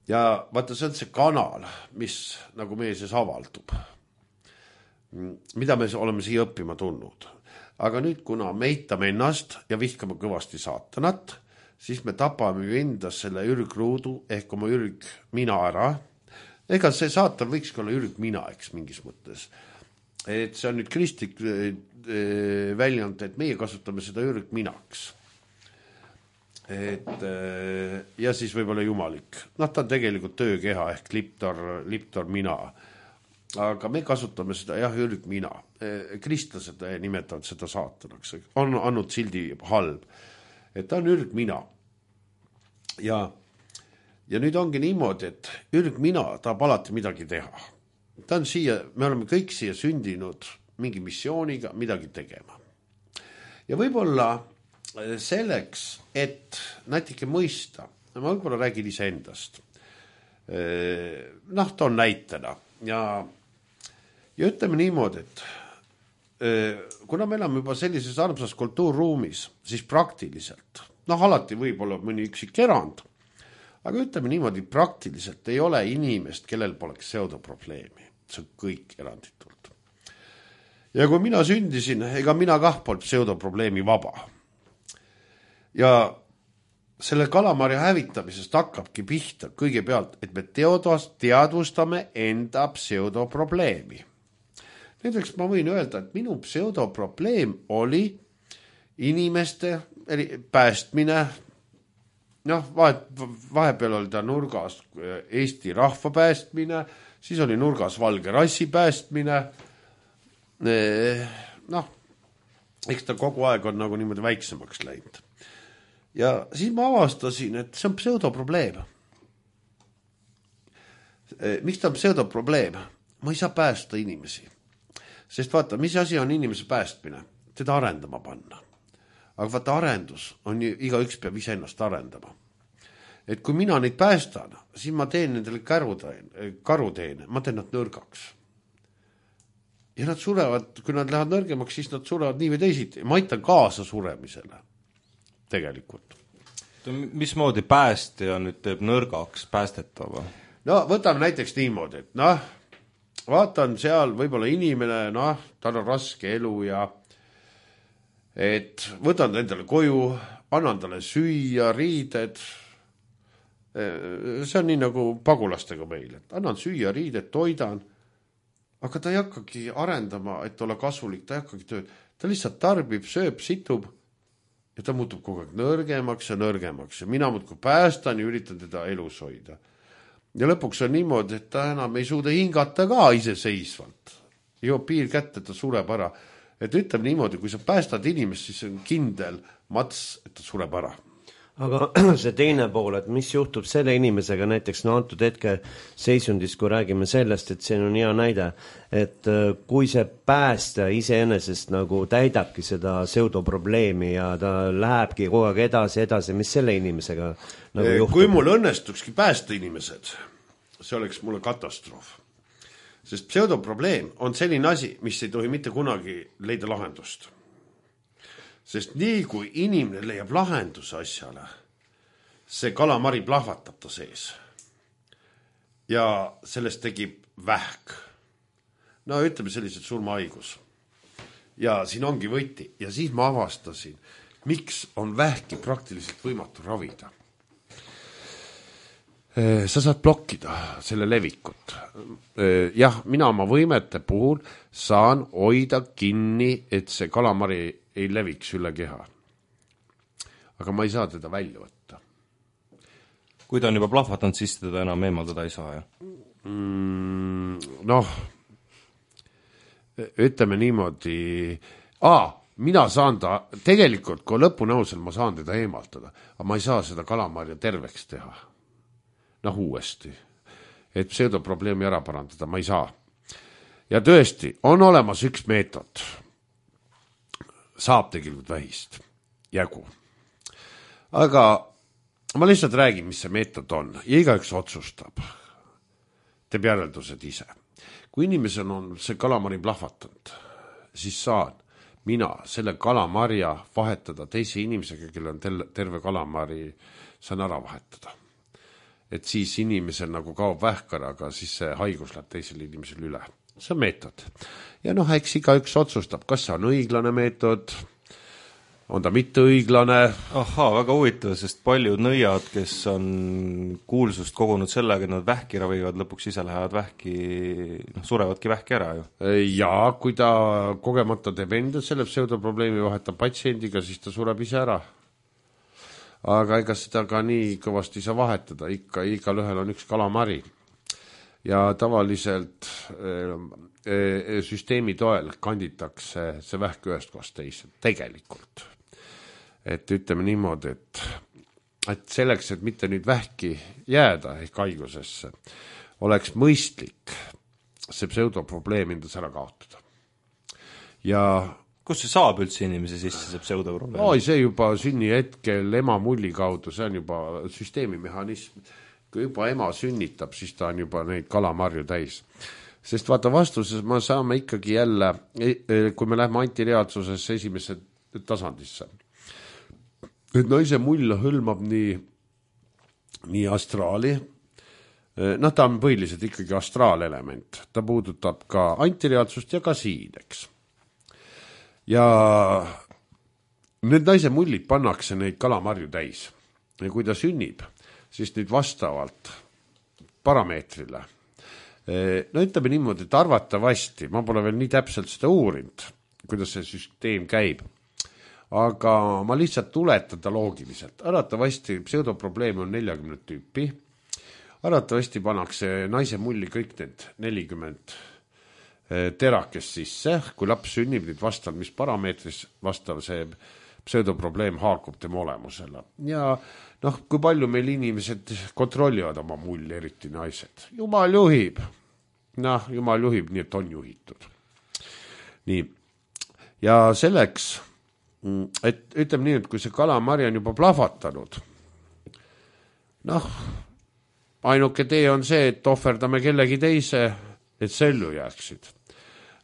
Ja vaata, see on see kanal, mis nagu meie sees avaldub. Mida me oleme siia õppima tulnud. Aga nüüd, kuna me eitame ennast ja vihkame kõvasti saatanat, siis me tapame ju endas selle ürgruudu ehk oma ürgmina ära. Ega see saatan võikski olla ürgmina, eks mingis mõttes. Et see on nüüd kristlik väljend, et meie kasutame seda ürgminaks. Ja siis võib-olla jumalik. Ta on tegelikult töökeha ehk liptor mina. Aga me kasutame seda ürgmina. Kristlased nimetavad seda saatanaks. On andnud sildi halb. Et ta on ürgmina. Ja nüüd ongi niimoodi, et ürgmina tahab alati midagi teha. Ta on siia, me oleme kõik siia sündinud mingi missiooniga midagi tegema. Ja võib-olla selleks, et natuke mõista, ma võib-olla räägin iseendast. Ta on näitena. Ja ütleme niimoodi, et kuna me elame juba sellises armsas kultuurruumis, siis praktiliselt, alati võib olla mõni üksik erand, aga ütleme niimoodi, praktiliselt ei ole inimest, kellel poleks pseudoprobleemi. see on kõik eranditult. Ja kui mina sündisin, ega mina kah polnud pseudoprobleemi vaba. Ja selle kalamari hävitamisest hakkabki pihta kõigepealt, et me teadvustame enda pseudoprobleemi. Näiteks ma võin öelda, et minu pseudoprobleem oli inimeste päästmine, noh, vahepeal oli ta nurgas Eesti rahva päästmine, siis oli nurgas valge rassi päästmine, noh, eks ta kogu aeg on nagu niimoodi väiksemaks läinud. Ja siis ma avastasin, et see on pseudoprobleem. Miks ta on pseudoprobleem? Ma ei saa päästa inimesi. Sest vaata, mis asi on inimese päästmine? Teda arendama panna. Aga vaata, arendus on ju, igaüks peab ise ennast arendama. Et kui mina neid päästan, siis ma teen nendele karuteene, ma teen nad nõrgaks. Ja nad surevad, kui nad lähevad nõrgemaks, siis nad surevad nii või teisiti. Ma aitan kaasa suremisele. Tegelikult. Mismoodi päästja nüüd teeb nõrgaks päästetava? No võtame näiteks niimoodi, et noh, vaatan seal võib-olla inimene, noh, tal on raske elu ja et võtan endale koju, annan talle süüa, riided. See on nii nagu pagulastega meil, et annan süüa, riided, toidan, aga ta ei hakkagi arendama, et olla kasulik, ta ei hakkagi tööd. Ta lihtsalt tarbib, sööb, situb ja ta muutub kogu aeg nõrgemaks ja mina muudkui päästan ja üritan teda elus hoida. Ja lõpuks on niimoodi, et ta enam ei suuda hingata ka iseseisvalt. Joob piir kätte, ta sureb ära. Et ütleme niimoodi, kui sa päästad inimest, siis on kindel mats, et ta sureb ära. Aga see teine pool, et mis juhtub selle inimesega näiteks antud hetke seisundis, kui räägime sellest, et see on hea näide, et kui see päästa iseenesest nagu täidabki seda pseudoprobleemi ja ta lähebki kogu aeg edasi, mis selle inimesega nagu juhtub? Kui mul õnnestukski päästa inimesed, see oleks mulle katastroof. Sest pseudoprobleem on selline asi, mis ei tohi mitte kunagi leida lahendust. Sest nii kui inimene leiab lahenduse asjale, see kalamari plahvatab ta sees. Ja sellest tegib vähk. No ütleme sellised surmahaigus. Ja siin ongi võti. Ja siis ma avastasin, miks on vähki praktiliselt võimatu ravida. Sa saad blokkida selle levikut. Jah, mina oma võimete puhul saan hoida kinni, et see kalamari ei leviks üle keha. Aga ma ei saa teda välja võtta. Kui ta on juba plahvatanud, siis teda enam eemaldada ei saa, jah? Noh, ütleme niimoodi, mina saan ta, tegelikult kui lõpunõusel ma saan teda eemaldada, aga ma ei saa seda kalamarja terveks teha. Noh, uuesti. Et pseudoprobleemi ära parandada, ma ei saa. Ja tõesti, on olemas üks meetod. Saab tegelikult vähist. Jägu. Aga ma lihtsalt räägin, mis see meetod on. Ja igaüks otsustab. Teeb järeldused ise. Kui inimesel on see kalamari plahvatanud, siis saan mina selle kalamarja vahetada teise inimesega, kelle on terve kalamari, saan ära vahetada. Et siis inimesel nagu kaob vähkar, aga siis see haigus läheb teisele inimesele üle. See on meetod. Ja noh, eks igaüks otsustab, kas see on õiglane meetod, on ta mitte õiglane. Ahaa, väga huvitav, sest paljud nõiad, kes on kuulsust kogunud sellega, et nad vähki ravivad, lõpuks ise lähevad vähki, surevadki vähki ära ju. Ja kui ta kogemata teeb enda selle pseudoprobleemi vahetab patsiendiga, siis ta sureb ise ära. Aga ega seda ka nii kõvasti ei saa vahetada, ikka igal ühel on üks kalamari. Ja tavaliselt süsteemi toel kanditakse see vähk ühest kohast teise, tegelikult. Et ütleme niimoodi, et selleks, et mitte nüüd vähki jääda ehk haigusesse, oleks mõistlik see pseudoprobleem endas ära kaotada. Ja kus see saab üldse inimese sisse, see pseudoprobleem? See juba sünni hetkel ema mulli kaudu, see on juba süsteemimehhanism. Kui juba ema sünnitab, siis ta on juba neid kalamarju täis. Sest vaata vastuses me saame ikkagi jälle, kui me lähme antireaalsuses esimesse tasandisse. Et naise mull hõlmab nii astraali, noh, ta on põhiliselt ikkagi astraalelement, ta puudutab ka antireaalsust ja ka siin, eks. Ja need naise mullid pannakse neid kalamarju täis ja kui ta sünnib, siis nüüd vastavalt parameetrile. No ütleme niimoodi, et arvatavasti, ma pole veel nii täpselt seda uurinud, kuidas see süsteem käib, aga ma lihtsalt tuletan ta loogiliselt. Arvatavasti pseudoprobleeme on 40 tüüpi, arvatavasti pannakse naise mulli kõik need 40 terakest sisse, kui laps sünnib, nüüd vastav, mis parameetris vastav see pseudoprobleem haakub tema olemusele. Ja noh, kui palju meil inimesed kontrollivad oma mulli, eriti naised. Jumal juhib. Noh, Jumal juhib, nii et on juhitud. Nii. Ja selleks, et ütleme nii, et kui see kalamari on juba plahvatanud, noh, ainuke tee on see, et ohverdame kellegi teise, et sellu jääksid.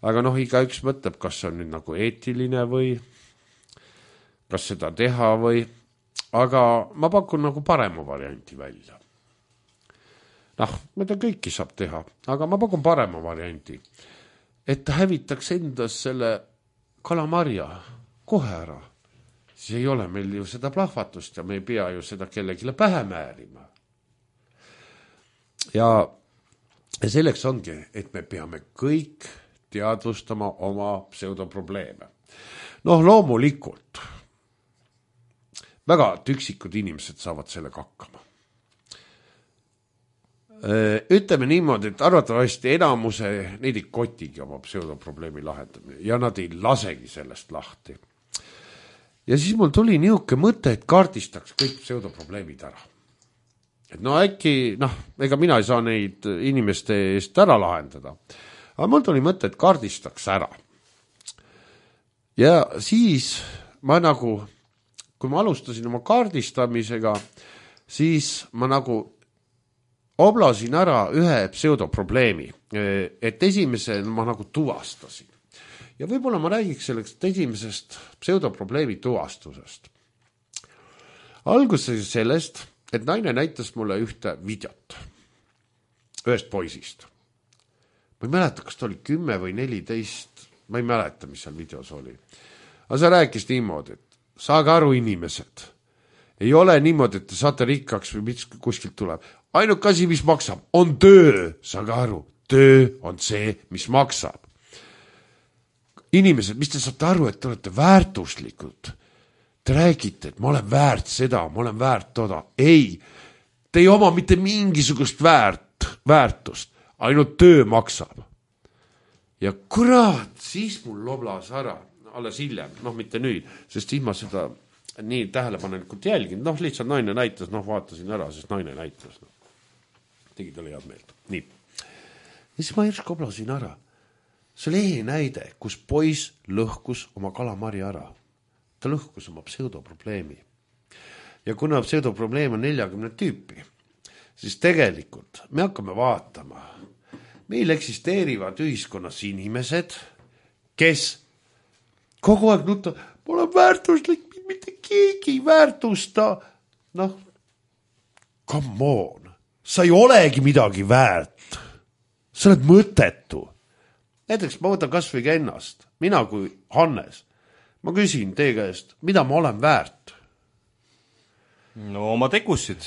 Aga noh, igaüks mõtleb, kas see on nüüd nagu eetiline või kas seda teha või, aga ma pakun nagu parema varianti välja. Noh, mida kõiki saab teha, aga ma pakun parema varianti, et ta hävitaks endas selle kalamarja kohe ära. Siis ei ole meil ju seda plahvatust ja me ei pea ju seda kellegile pähe määrima. Ja selleks ongi, et me peame kõik teadvustama oma pseudoprobleeme. Noh, loomulikult väga tüksikud inimesed saavad sellega hakkama. Ütleme niimoodi, et arvatavasti enamuse neid ei kotigi oma pseudoprobleemi lahendamine ja nad ei lasegi sellest lahti. Ja siis mul tuli niisugune mõte, et kaardistaks kõik pseudoprobleemid ära. Et no äkki, ega mina ei saa neid inimeste eest ära lahendada, aga mul tuli mõte, et kaardistaks ära. Ja siis ma nagu kui ma alustasin oma kaardistamisega, siis ma nagu oblasin ära ühe pseudoprobleemi, et esimese ma nagu tuvastasin. Ja võib-olla ma räägiks sellest esimesest pseudoprobleemi tuvastusest. Alguses sellest, et naine näitas mulle ühte videot ühest poisist. Ma ei mäleta, kas ta oli 10 või 14, ma ei mäleta, mis seal videos oli. Aga sa rääkis niimoodi, et saage aru inimesed, ei ole niimoodi, et te saate rikkaks või mis kuskilt tuleb. Ainuke asi, mis maksab, on töö, saage aru, töö on see, mis maksab. Inimesed, mis te saate aru, et te olete väärtuslikud? Te räägite, et ma olen väärt seda, ma olen väärt toda. Ei, te ei oma mitte mingisugust väärtust, ainult töö maksab. Ja kurat, siis mul loblas ära. Alles hiljem, mitte nüüd, sest siis ma seda nii tähelepanelikult jälgin. Lihtsalt naine näitas, vaatasin ära, sest naine näitas. Tegi talle head meelt. Nii. Ja siis ma järsku oblasin ära. See oli näide, kus poiss lõhkus oma kalamari ära. Ta lõhkus oma pseudoprobleemi. Ja kuna pseudoprobleem on 40 tüüpi, siis tegelikult me hakkame vaatama. Meil eksisteerivad ühiskonnas inimesed, kes kogu aeg nutta, ma olen väärtuslik, mitte keegi ei väärtusta. Come on, sa ei olegi midagi väärt. Sa oled mõttetu. Näiteks ma võtan kas või ennast, mina kui Hannes. Ma küsin teie käest, mida ma olen väärt? No oma tegusid.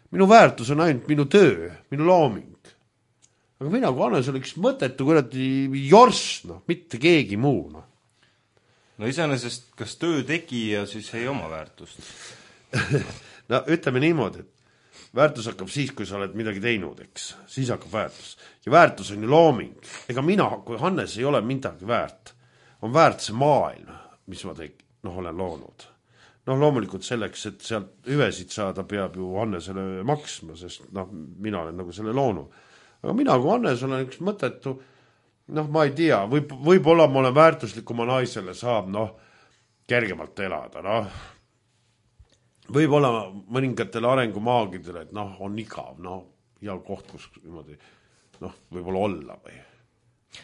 Minu väärtus on ainult minu töö, minu looming. Aga mina kui Hannes oleks mõttetu, kui jorss, mitte keegi muu. No iseenesest, kas töö tegija siis ei oma väärtust? No ütleme niimoodi, et väärtus hakkab siis, kui sa oled midagi teinud, eks. Siis hakkab väärtus. Ja väärtus on ju looming. Ega mina, kui Hannes ei ole midagi väärt, on väärt see maailm, mis ma olen loonud. Loomulikult selleks, et sealt hüvesid saada, peab ju Hannesele maksma, sest mina olen nagu selle loonud. Aga mina kui Hannes olen üks mõttetu, ma ei tea, võib-olla ma olen väärtuslik oma naisele, saab kergemalt elada, võib-olla mõningatele arengumaagidele, et on igav, hea koht, kus niimoodi, võib-olla olla või.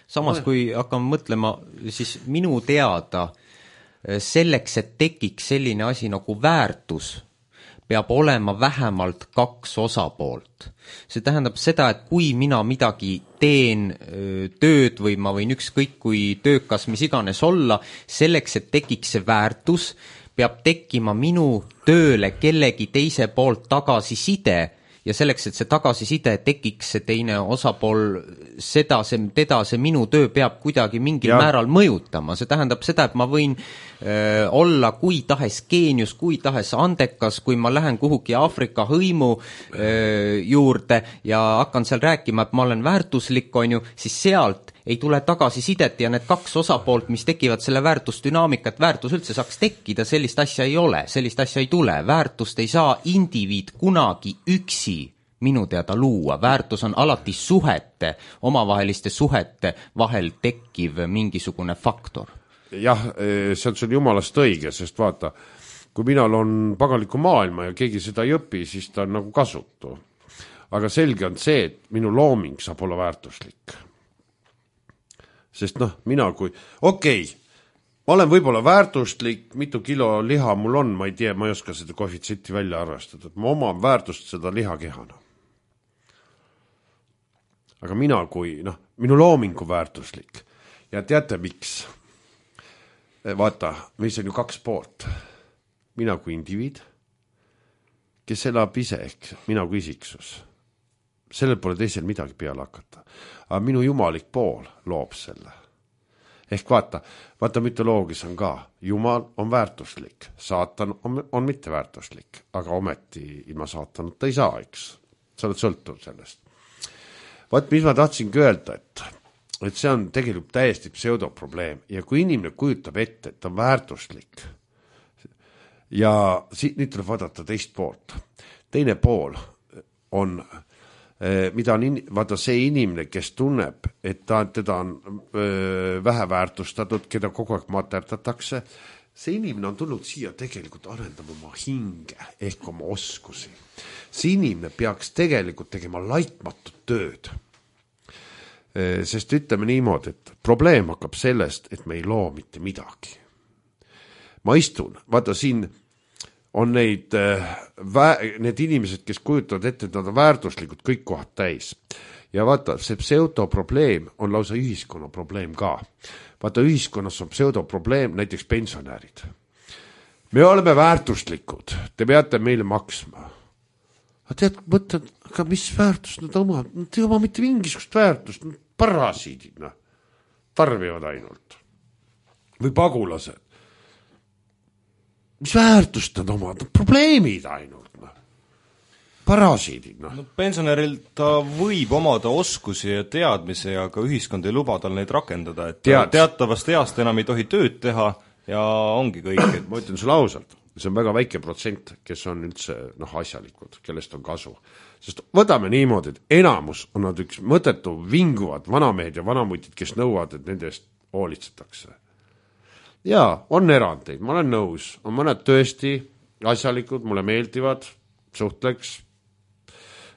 Samas, kui hakkame mõtlema, siis minu teada selleks, et tekiks selline asi nagu väärtus, peab olema vähemalt 2 osapoolt. See tähendab seda, et kui mina midagi teen tööd või ma võin ükskõik kui töökas mis iganes olla, selleks, et tekiks see väärtus, peab tekkima minu tööle kellegi teise poolt tagasiside ja selleks, et see tagasiside tekiks, see teine osapool, teda see minu töö peab kuidagi mingil määral mõjutama. See tähendab seda, et ma võin olla kui tahes geenius, kui tahes andekas, kui ma lähen kuhugi Aafrika hõimu juurde ja hakkan seal rääkima, et ma olen väärtuslik, on ju, siis sealt ei tule tagasisidet ja need 2 osapoolt, mis tekivad selle väärtusdünaamika, et väärtus üldse saaks tekkida, sellist asja ei ole, sellist asja ei tule. Väärtust ei saa indiviid kunagi üksi minu teada luua. Väärtus on alati suhete, omavaheliste suhete vahel tekkiv mingisugune faktor. Jah, see on sul jumalast õige, sest vaata, kui minal on pagaliku maailma ja keegi seda ei õpi, siis ta on nagu kasutu. Aga selge on see, et minu looming saab olla väärtuslik. Sest mina kui, ma olen võib-olla väärtuslik, mitu kilo liha mul on, ma ei tea, ma ei oska seda koefitsietti välja arvestada, et ma omam väärtust seda lihakehana. Aga mina kui, minu loomingu väärtuslik. Ja teate miks? Vaata, meis on ju 2 poolt. Mina kui indiviid, kes elab ise ehk mina kui isiksus. Sellel pole teisel midagi peale hakata. Aga minu jumalik pool loob selle. Ehk vaata mütoloogias on ka. Jumal on väärtuslik. Saatan on mitte väärtuslik. Aga ometi ilma saatanata ei saa, eks. Sa oled sõltuv sellest. Vaat, mis ma tahtsingi öelda, et see on tegelikult täiesti pseudoprobleem ja kui inimene kujutab ette, et ta on väärtuslik ja nüüd tuleb vaadata teist poolt. Teine pool on, mida on, vaata see inimene, kes tunneb, et teda on vähe väärtustatud, keda kogu aeg materdatakse, see inimene on tulnud siia tegelikult arendama oma hinge ehk oma oskusi. See inimene peaks tegelikult tegema laitmatut tööd. Sest ütleme niimoodi, et probleem hakkab sellest, et me ei loo mitte midagi. Ma istun, vaata siin on need inimesed, kes kujutavad ette, et nad on väärtuslikud kõik kohad täis. Ja vaata, see pseudoprobleem on lausa ühiskonna probleem ka. Vaata, ühiskonnas on pseudoprobleem, näiteks pensionärid. Me oleme väärtuslikud, te peate meile maksma. Mõtled, aga mis väärtust nad omavad? Nad ei oma mitte mingisugust väärtust, parasiidid, tarbivad ainult. Või pagulased. Mis väärtust nad omavad? Probleemid ainult. Parasiidid. Pensionäril ta võib omada oskusi ja teadmise, aga ühiskond ei luba tal neid rakendada. Et teatavast east enam ei tohi tööd teha ja ongi kõik. Ma ütlen sulle ausalt. See on väga väike protsent, kes on üldse asjalikud, kellest on kasu. Sest võtame niimoodi, et enamus on nad üks mõttetu vinguvad vanamehed ja vanamutid, kes nõuavad, et nende eest hoolitsetakse. Jaa, on erandeid, ma olen nõus. On mõned tõesti asjalikud, mulle meeldivad, suhtleks.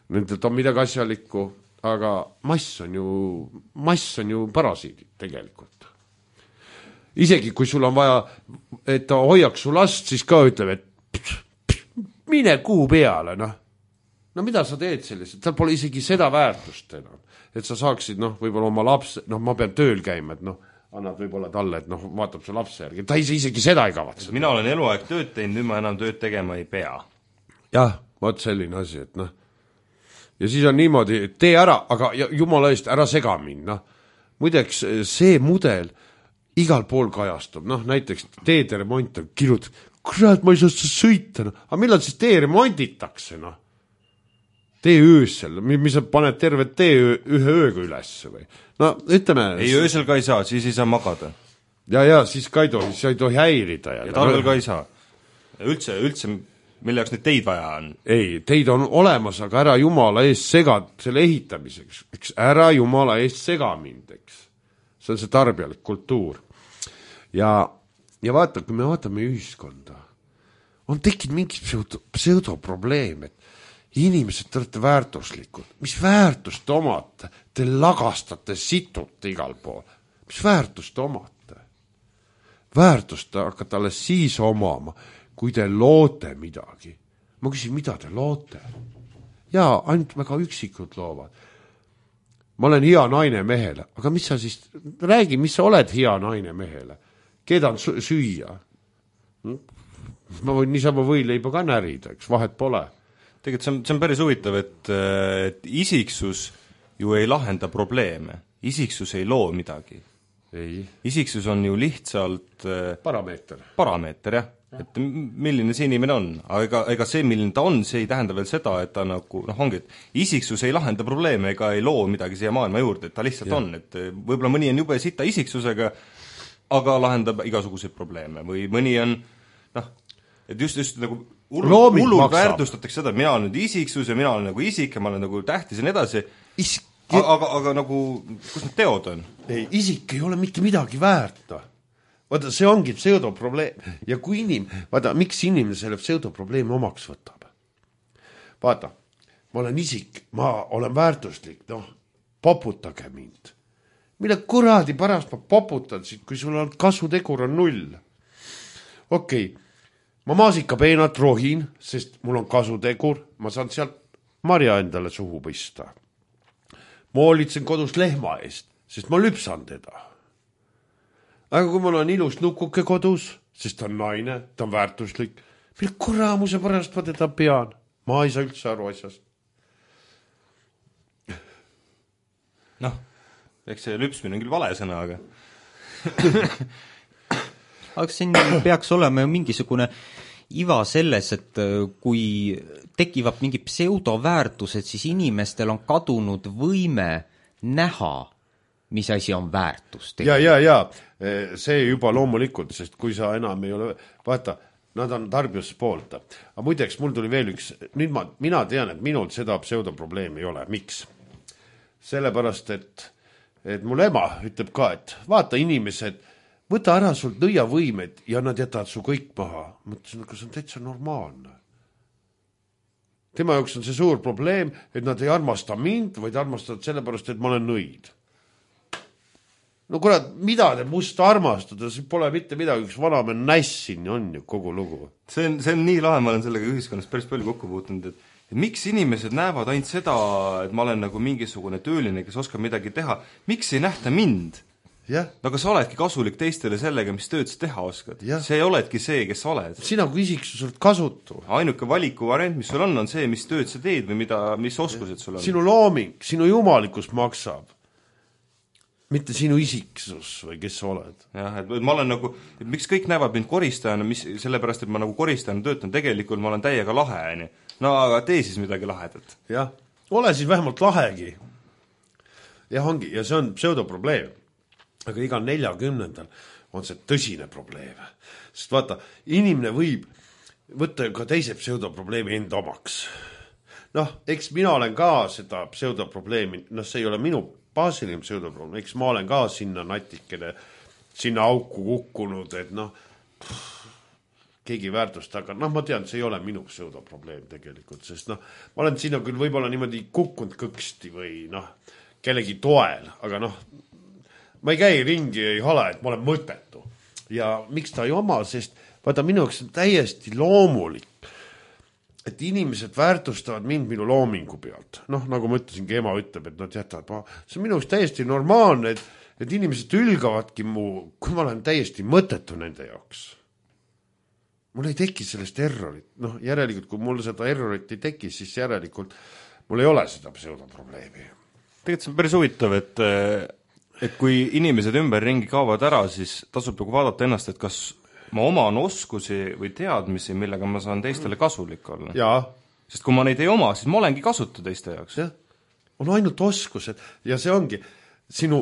Nendelt on midagi asjalikku, aga mass on ju parasiidid tegelikult. Isegi kui sul on vaja, et ta hoiaks su last, siis ka ütleb, et mine kuu peale, No mida sa teed selliselt? Tal pole isegi seda väärtust enam. Et sa saaksid, võib-olla oma lapse, ma pean tööl käima, et annad võib-olla talle, et vaatab su lapse järgi. Ta isegi seda ei kavatse. Mina olen eluaeg tööd teinud, nüüd ma enam tööd tegema ei pea. Jah, vaat selline asi, et Ja siis on niimoodi, et tee ära, aga jumala eest ära sega minna. Muideks see mudel igal pool kajastub, näiteks teede remont on kirjut, kurat, ma ei saa sõita, aga millal siis tee remonditakse, Tee öösel, mis sa paned terve tee ühe ööga üles või? Ütleme... Ei, öösel ka ei saa, siis ei saa magada. Ja, siis ka ei tohi häirida. Ja talvel ka ei saa. Üldse, mille jaoks neid teid vaja on? Ei, teid on olemas, aga ära jumala eest segad selle ehitamiseks. Eks ära jumala eest sega mind, eks. See on see tarbijalik kultuur. Ja vaata, kui me vaatame ühiskonda, on tekkinud mingi pseudoprobleem, et inimesed, te olete väärtuslikud. Mis väärtust omate? Te lagastate situt igal pool. Mis väärtust omate? Väärtust hakkate alles siis omama, kui te loote midagi. ma küsin, mida te loote? Jaa, ainult väga üksikud loovad. Ma olen hea naine mehele, aga mis sa siis, räägi, mis sa oled hea naine mehele? Keedan süüa? Ma võin niisama võileiba ka närida, eks vahet pole. Tegelikult see on päris huvitav, et isiksus ju ei lahenda probleeme. Isiksus ei loo midagi. Ei. Isiksus on ju lihtsalt parameeter, jah. Et milline see inimene on, aga ega see, milline ta on, see ei tähenda veel seda, et ta nagu, ongi, et isiksus ei lahenda probleeme ega ei loo midagi siia maailma juurde, et ta lihtsalt on, et võib-olla mõni on jube sita isiksusega, aga lahendab igasuguseid probleeme või mõni on, et just nagu hullult väärtustatakse seda, et mina olen nüüd isiksus ja mina olen nagu isik ja ma olen nagu tähtis ja nii edasi, aga nagu, kus need teod on? Ei, isik ei ole mitte midagi väärt, vaata, see ongi pseudoprobleem ja kui vaata, miks inimene selle pseudoprobleemi omaks võtab? Vaata, ma olen isik, ma olen väärtuslik, poputage mind. Mille kuradi pärast ma poputan siit, kui sul on kasutegur on 0? Okei, ma maasikapeenat rohin, sest mul on kasutegur, ma saan sealt marja endale suhu pista. Ma hoolitsen kodus lehma eest, sest ma lüpsan teda. Aga kui mul on ilus nukuke kodus, sest ta on naine, ta on väärtuslik, mille kuramuse pärast ma teda pean? Ma ei saa üldse aru asjast. Eks see lüpsmine on küll vale sõna, aga aga siin peaks olema ju mingisugune iva selles, et kui tekivad mingi pseudoväärtused, siis inimestel on kadunud võime näha, mis asi on väärtus. Ja, see juba loomulikult, sest kui sa enam ei ole, vaata, nad on tarbijuspoolt. Aga muideks, mul tuli veel üks, nüüd mina tean, et minul seda pseudoprobleemi ei ole. Miks? Sellepärast, et mul ema ütleb ka, et vaata inimesed, võta ära sult nõiavõimed ja nad jätavad su kõik maha. Mõtlesin, aga see on täitsa normaalne. Tema jaoks on see suur probleem, et nad ei armasta mind, vaid armastavad sellepärast, et ma olen nõid. No kurat, mida te must armastada, see pole mitte midagi, üks vanamehe nässin on ju kogu lugu. See on nii lahe, ma olen sellega ühiskonnas päris palju kokku puutunud, et miks inimesed näevad ainult seda, et ma olen nagu mingisugune tööline, kes oskab midagi teha, miks ei nähta mind? Jah. Aga sa oledki kasulik teistele sellega, mis tööd sa teha oskad. Ja. See oledki see, kes sa oled. Sina kui isiksus oled kasutu. Ainuke valiku variant, mis sul on see, mis tööd sa teed või mis oskused sul on. Sinu looming, sinu jumalikus maksab. Mitte sinu isiksus või kes sa oled. Jah, et ma olen nagu, et miks kõik näevad mind koristajana, sellepärast, et ma nagu koristajana töötan, tegelikult ma olen täiega lahe, nii. No aga tee siis midagi lahedat. Jah, ole siis vähemalt lahegi. Jah, ongi, ja see on pseudoprobleem. Aga iga 40. on see tõsine probleem. Sest vaata, inimene võib võtta ka teise pseudoprobleemi enda omaks. Eks mina olen ka seda pseudoprobleemi, see ei ole minu baasiline pseudoprobleem, eks ma olen ka sinna natikene, sinna auku kukkunud, et keegi väärtust, aga ma tean, see ei ole minu pseudoprobleem tegelikult, sest ma olen sinna küll võib-olla niimoodi kukkunud kõksti või kellegi toel, aga ma ei käi ringi, ei hala, et ma olen mõttetu. Ja miks ta ei oma, sest vaata minu jaoks on täiesti loomulik, et inimesed väärtustavad mind minu loomingu pealt. Nagu ma ütlesin, ema ütleb, et nad jätavad. See on minu jaoks täiesti normaalne, et inimesed ülgavadki kui ma olen täiesti mõttetu nende jaoks. Mul ei teki sellest errorit. Järelikult, kui mul seda errorit ei teki, siis järelikult mul ei ole seda pseudoprobleemi. Tegelikult see on päris huvitav, et kui inimesed ümberringi kaovad ära, siis tasub nagu vaadata ennast, et kas ma oman oskusi või teadmisi, millega ma saan teistele kasulik olla. Jaa. Sest kui ma neid ei oma, siis ma olengi kasutu teiste jaoks. Jah. On ainult oskused ja see ongi, sinu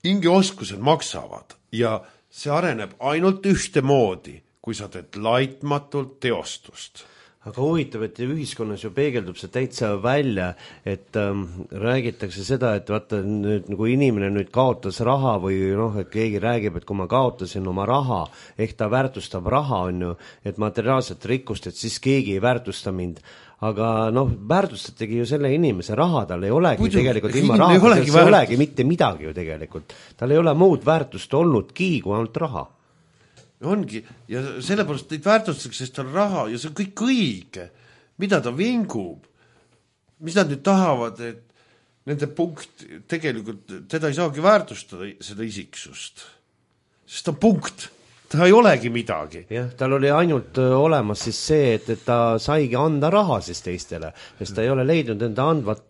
hingeoskused maksavad ja see areneb ainult ühtemoodi, kui sa teed laitmatult teostust. Aga huvitav, et ühiskonnas ju peegeldub see täitsa välja, et räägitakse seda, et vaata nüüd, kui inimene nüüd kaotas raha või et keegi räägib, et kui ma kaotasin oma raha, ehk ta väärtustab raha, on ju, et materiaalset rikkust, et siis keegi ei väärtusta mind. Aga väärtustategi ju selle inimese raha, tal ei olegi tegelikult ilma raha, tal ei olegi mitte midagi ju tegelikult. Tal ei ole muud väärtust olnudki kui ainult raha. ongi, ja sellepärast neid väärtustatakse, sest on raha ja see on kõik õige, mida ta vingub, mis nad nüüd tahavad, et nende punkt tegelikult, teda ei saagi väärtustada seda isiksust, sest ta punkt, ta ei olegi midagi. Jah, tal oli ainult olemas siis see, et ta saigi anda raha siis teistele, sest ta ei ole leidnud enda andvat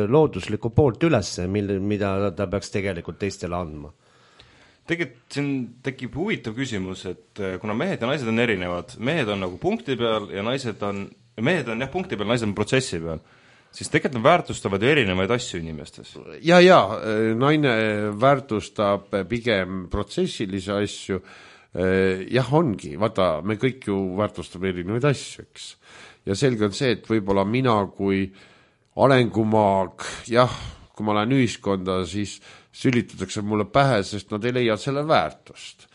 looduslikku poolt ülesse, mida ta peaks tegelikult teistele andma. Tegelikult siin tekib huvitav küsimus, et kuna mehed ja naised on erinevad, mehed on nagu punkti peal ja mehed on jah punkti peal, naised on protsessi peal, siis tegelikult nad väärtustavad ju erinevaid asju inimestes. Ja, naine väärtustab pigem protsessilisi asju, jah ongi, vaata, me kõik ju väärtustame erinevaid asju, eks. Ja selge on see, et võib-olla mina kui arengumaag, jah, kui ma lähen ühiskonda, siis sülitatakse mulle pähe, sest nad ei leia selle väärtust.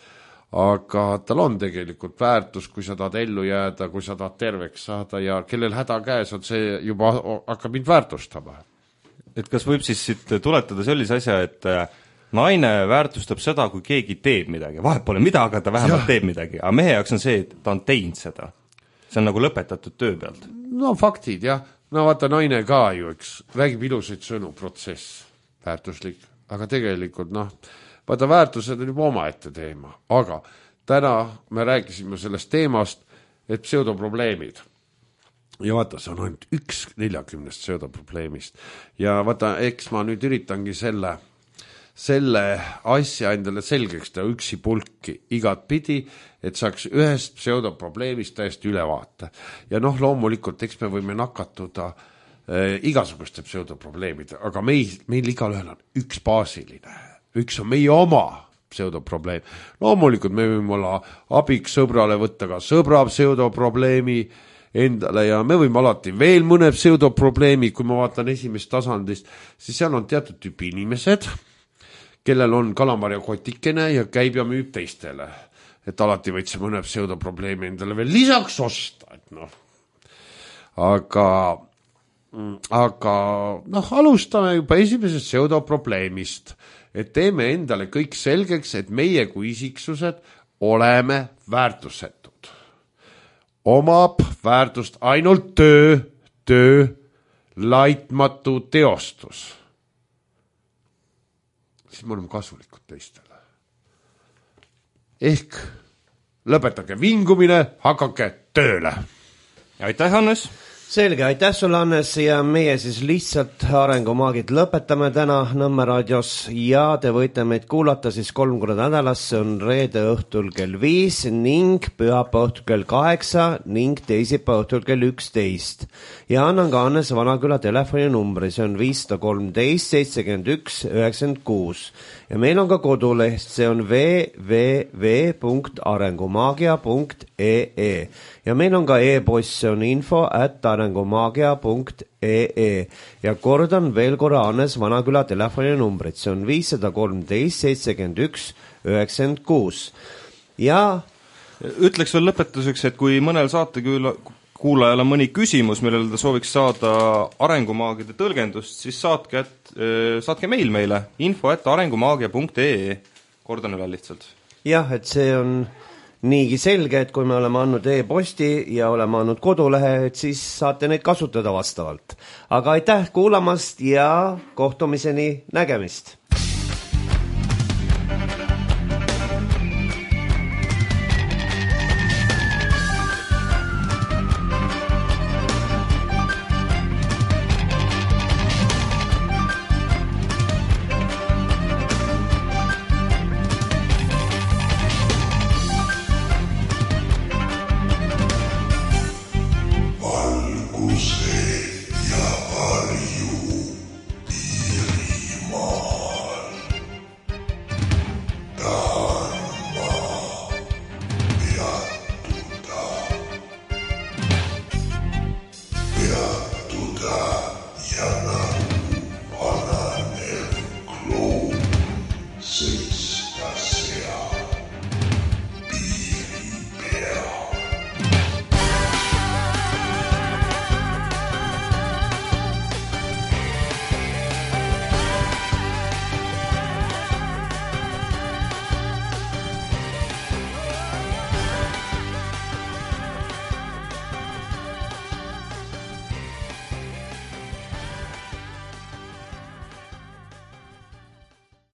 Aga tal on tegelikult väärtus, kui sa tahad ellu jääda, kui sa tahad terveks saada ja kellel häda käes on, see juba hakkab mind väärtustama. Et kas võib siis siit tuletada sellise asja, et naine väärtustab seda, kui keegi teeb midagi. Vahet pole mida, aga ta vähemalt teeb midagi. Aga mehe jaoks on see, et ta on teinud seda. See on nagu lõpetatud töö pealt. No faktid, jah. No vaata, naine ka ju, eks, räägib ilusaid sõnu, protsess, väärtuslik. Aga tegelikult, vaata, väärtused on juba omaette teema. Aga täna me rääkisime sellest teemast, et pseudoprobleemid. Ja vaata, see on ainult 1/40 pseudoprobleemist. Ja vaata, eks ma nüüd üritangi selle asja endale selgeks teha üksi pulki igat pidi, et saaks ühest pseudoprobleemist täiesti ülevaate. Ja loomulikult, eks me võime nakatuda igasuguste pseudoprobleemide, aga meil igal ühel on üks baasiline, üks on meie oma pseudoprobleem. Loomulikult me võime olla abiks sõbrale võtta ka sõbra pseudoprobleemi endale ja me võime alati veel mõne pseudoprobleemi, kui ma vaatan esimest tasandist, siis seal on teatud tüüpi inimesed, kellel on kalamarja kotikene ja käib ja müüb teistele. Et alati võid see mõne pseudoprobleemi endale veel lisaks osta. Aga alustame juba esimesest pseudoprobleemist, et teeme endale kõik selgeks, et meie kui isiksused oleme väärtusetud. Omab väärtust ainult töö, laitmatu teostus. Siis me oleme kasulikud teistele. Ehk lõpetage vingumine, hakake tööle. Aitäh, Hannes! Selge, aitäh sulle, Hannes, ja meie siis lihtsalt Arengumaagid lõpetame täna Nõmme raadios ja te võite meid kuulata siis 3 korda nädalas, see on reede õhtul kell 5 ning pühapäeva õhtul kell 8 ning teisipäeva õhtul kell 11. Ja annan ka Hannes Vanaküla telefoninumbri, see on 513 71 96. Ja meil on ka koduleht, see on www.arengumaagia.ee. Ja meil on ka e-post, see on info@arengumaagia.ee. Ja kordan veel korra Hannes Vanaküla telefoninumbrit, see on 513 71 96. Ja ütleks veel lõpetuseks, et kui mõnel kuulajal on mõni küsimus, millele ta sooviks saada arengumaagide tõlgendust, siis saatke meil meile info@arengumaagia.ee. Kordan üle lihtsalt. Jah, et see on niigi selge, et kui me oleme andnud e-posti ja oleme andnud kodulehe, et siis saate neid kasutada vastavalt. Aga aitäh kuulamast ja kohtumiseni, nägemist!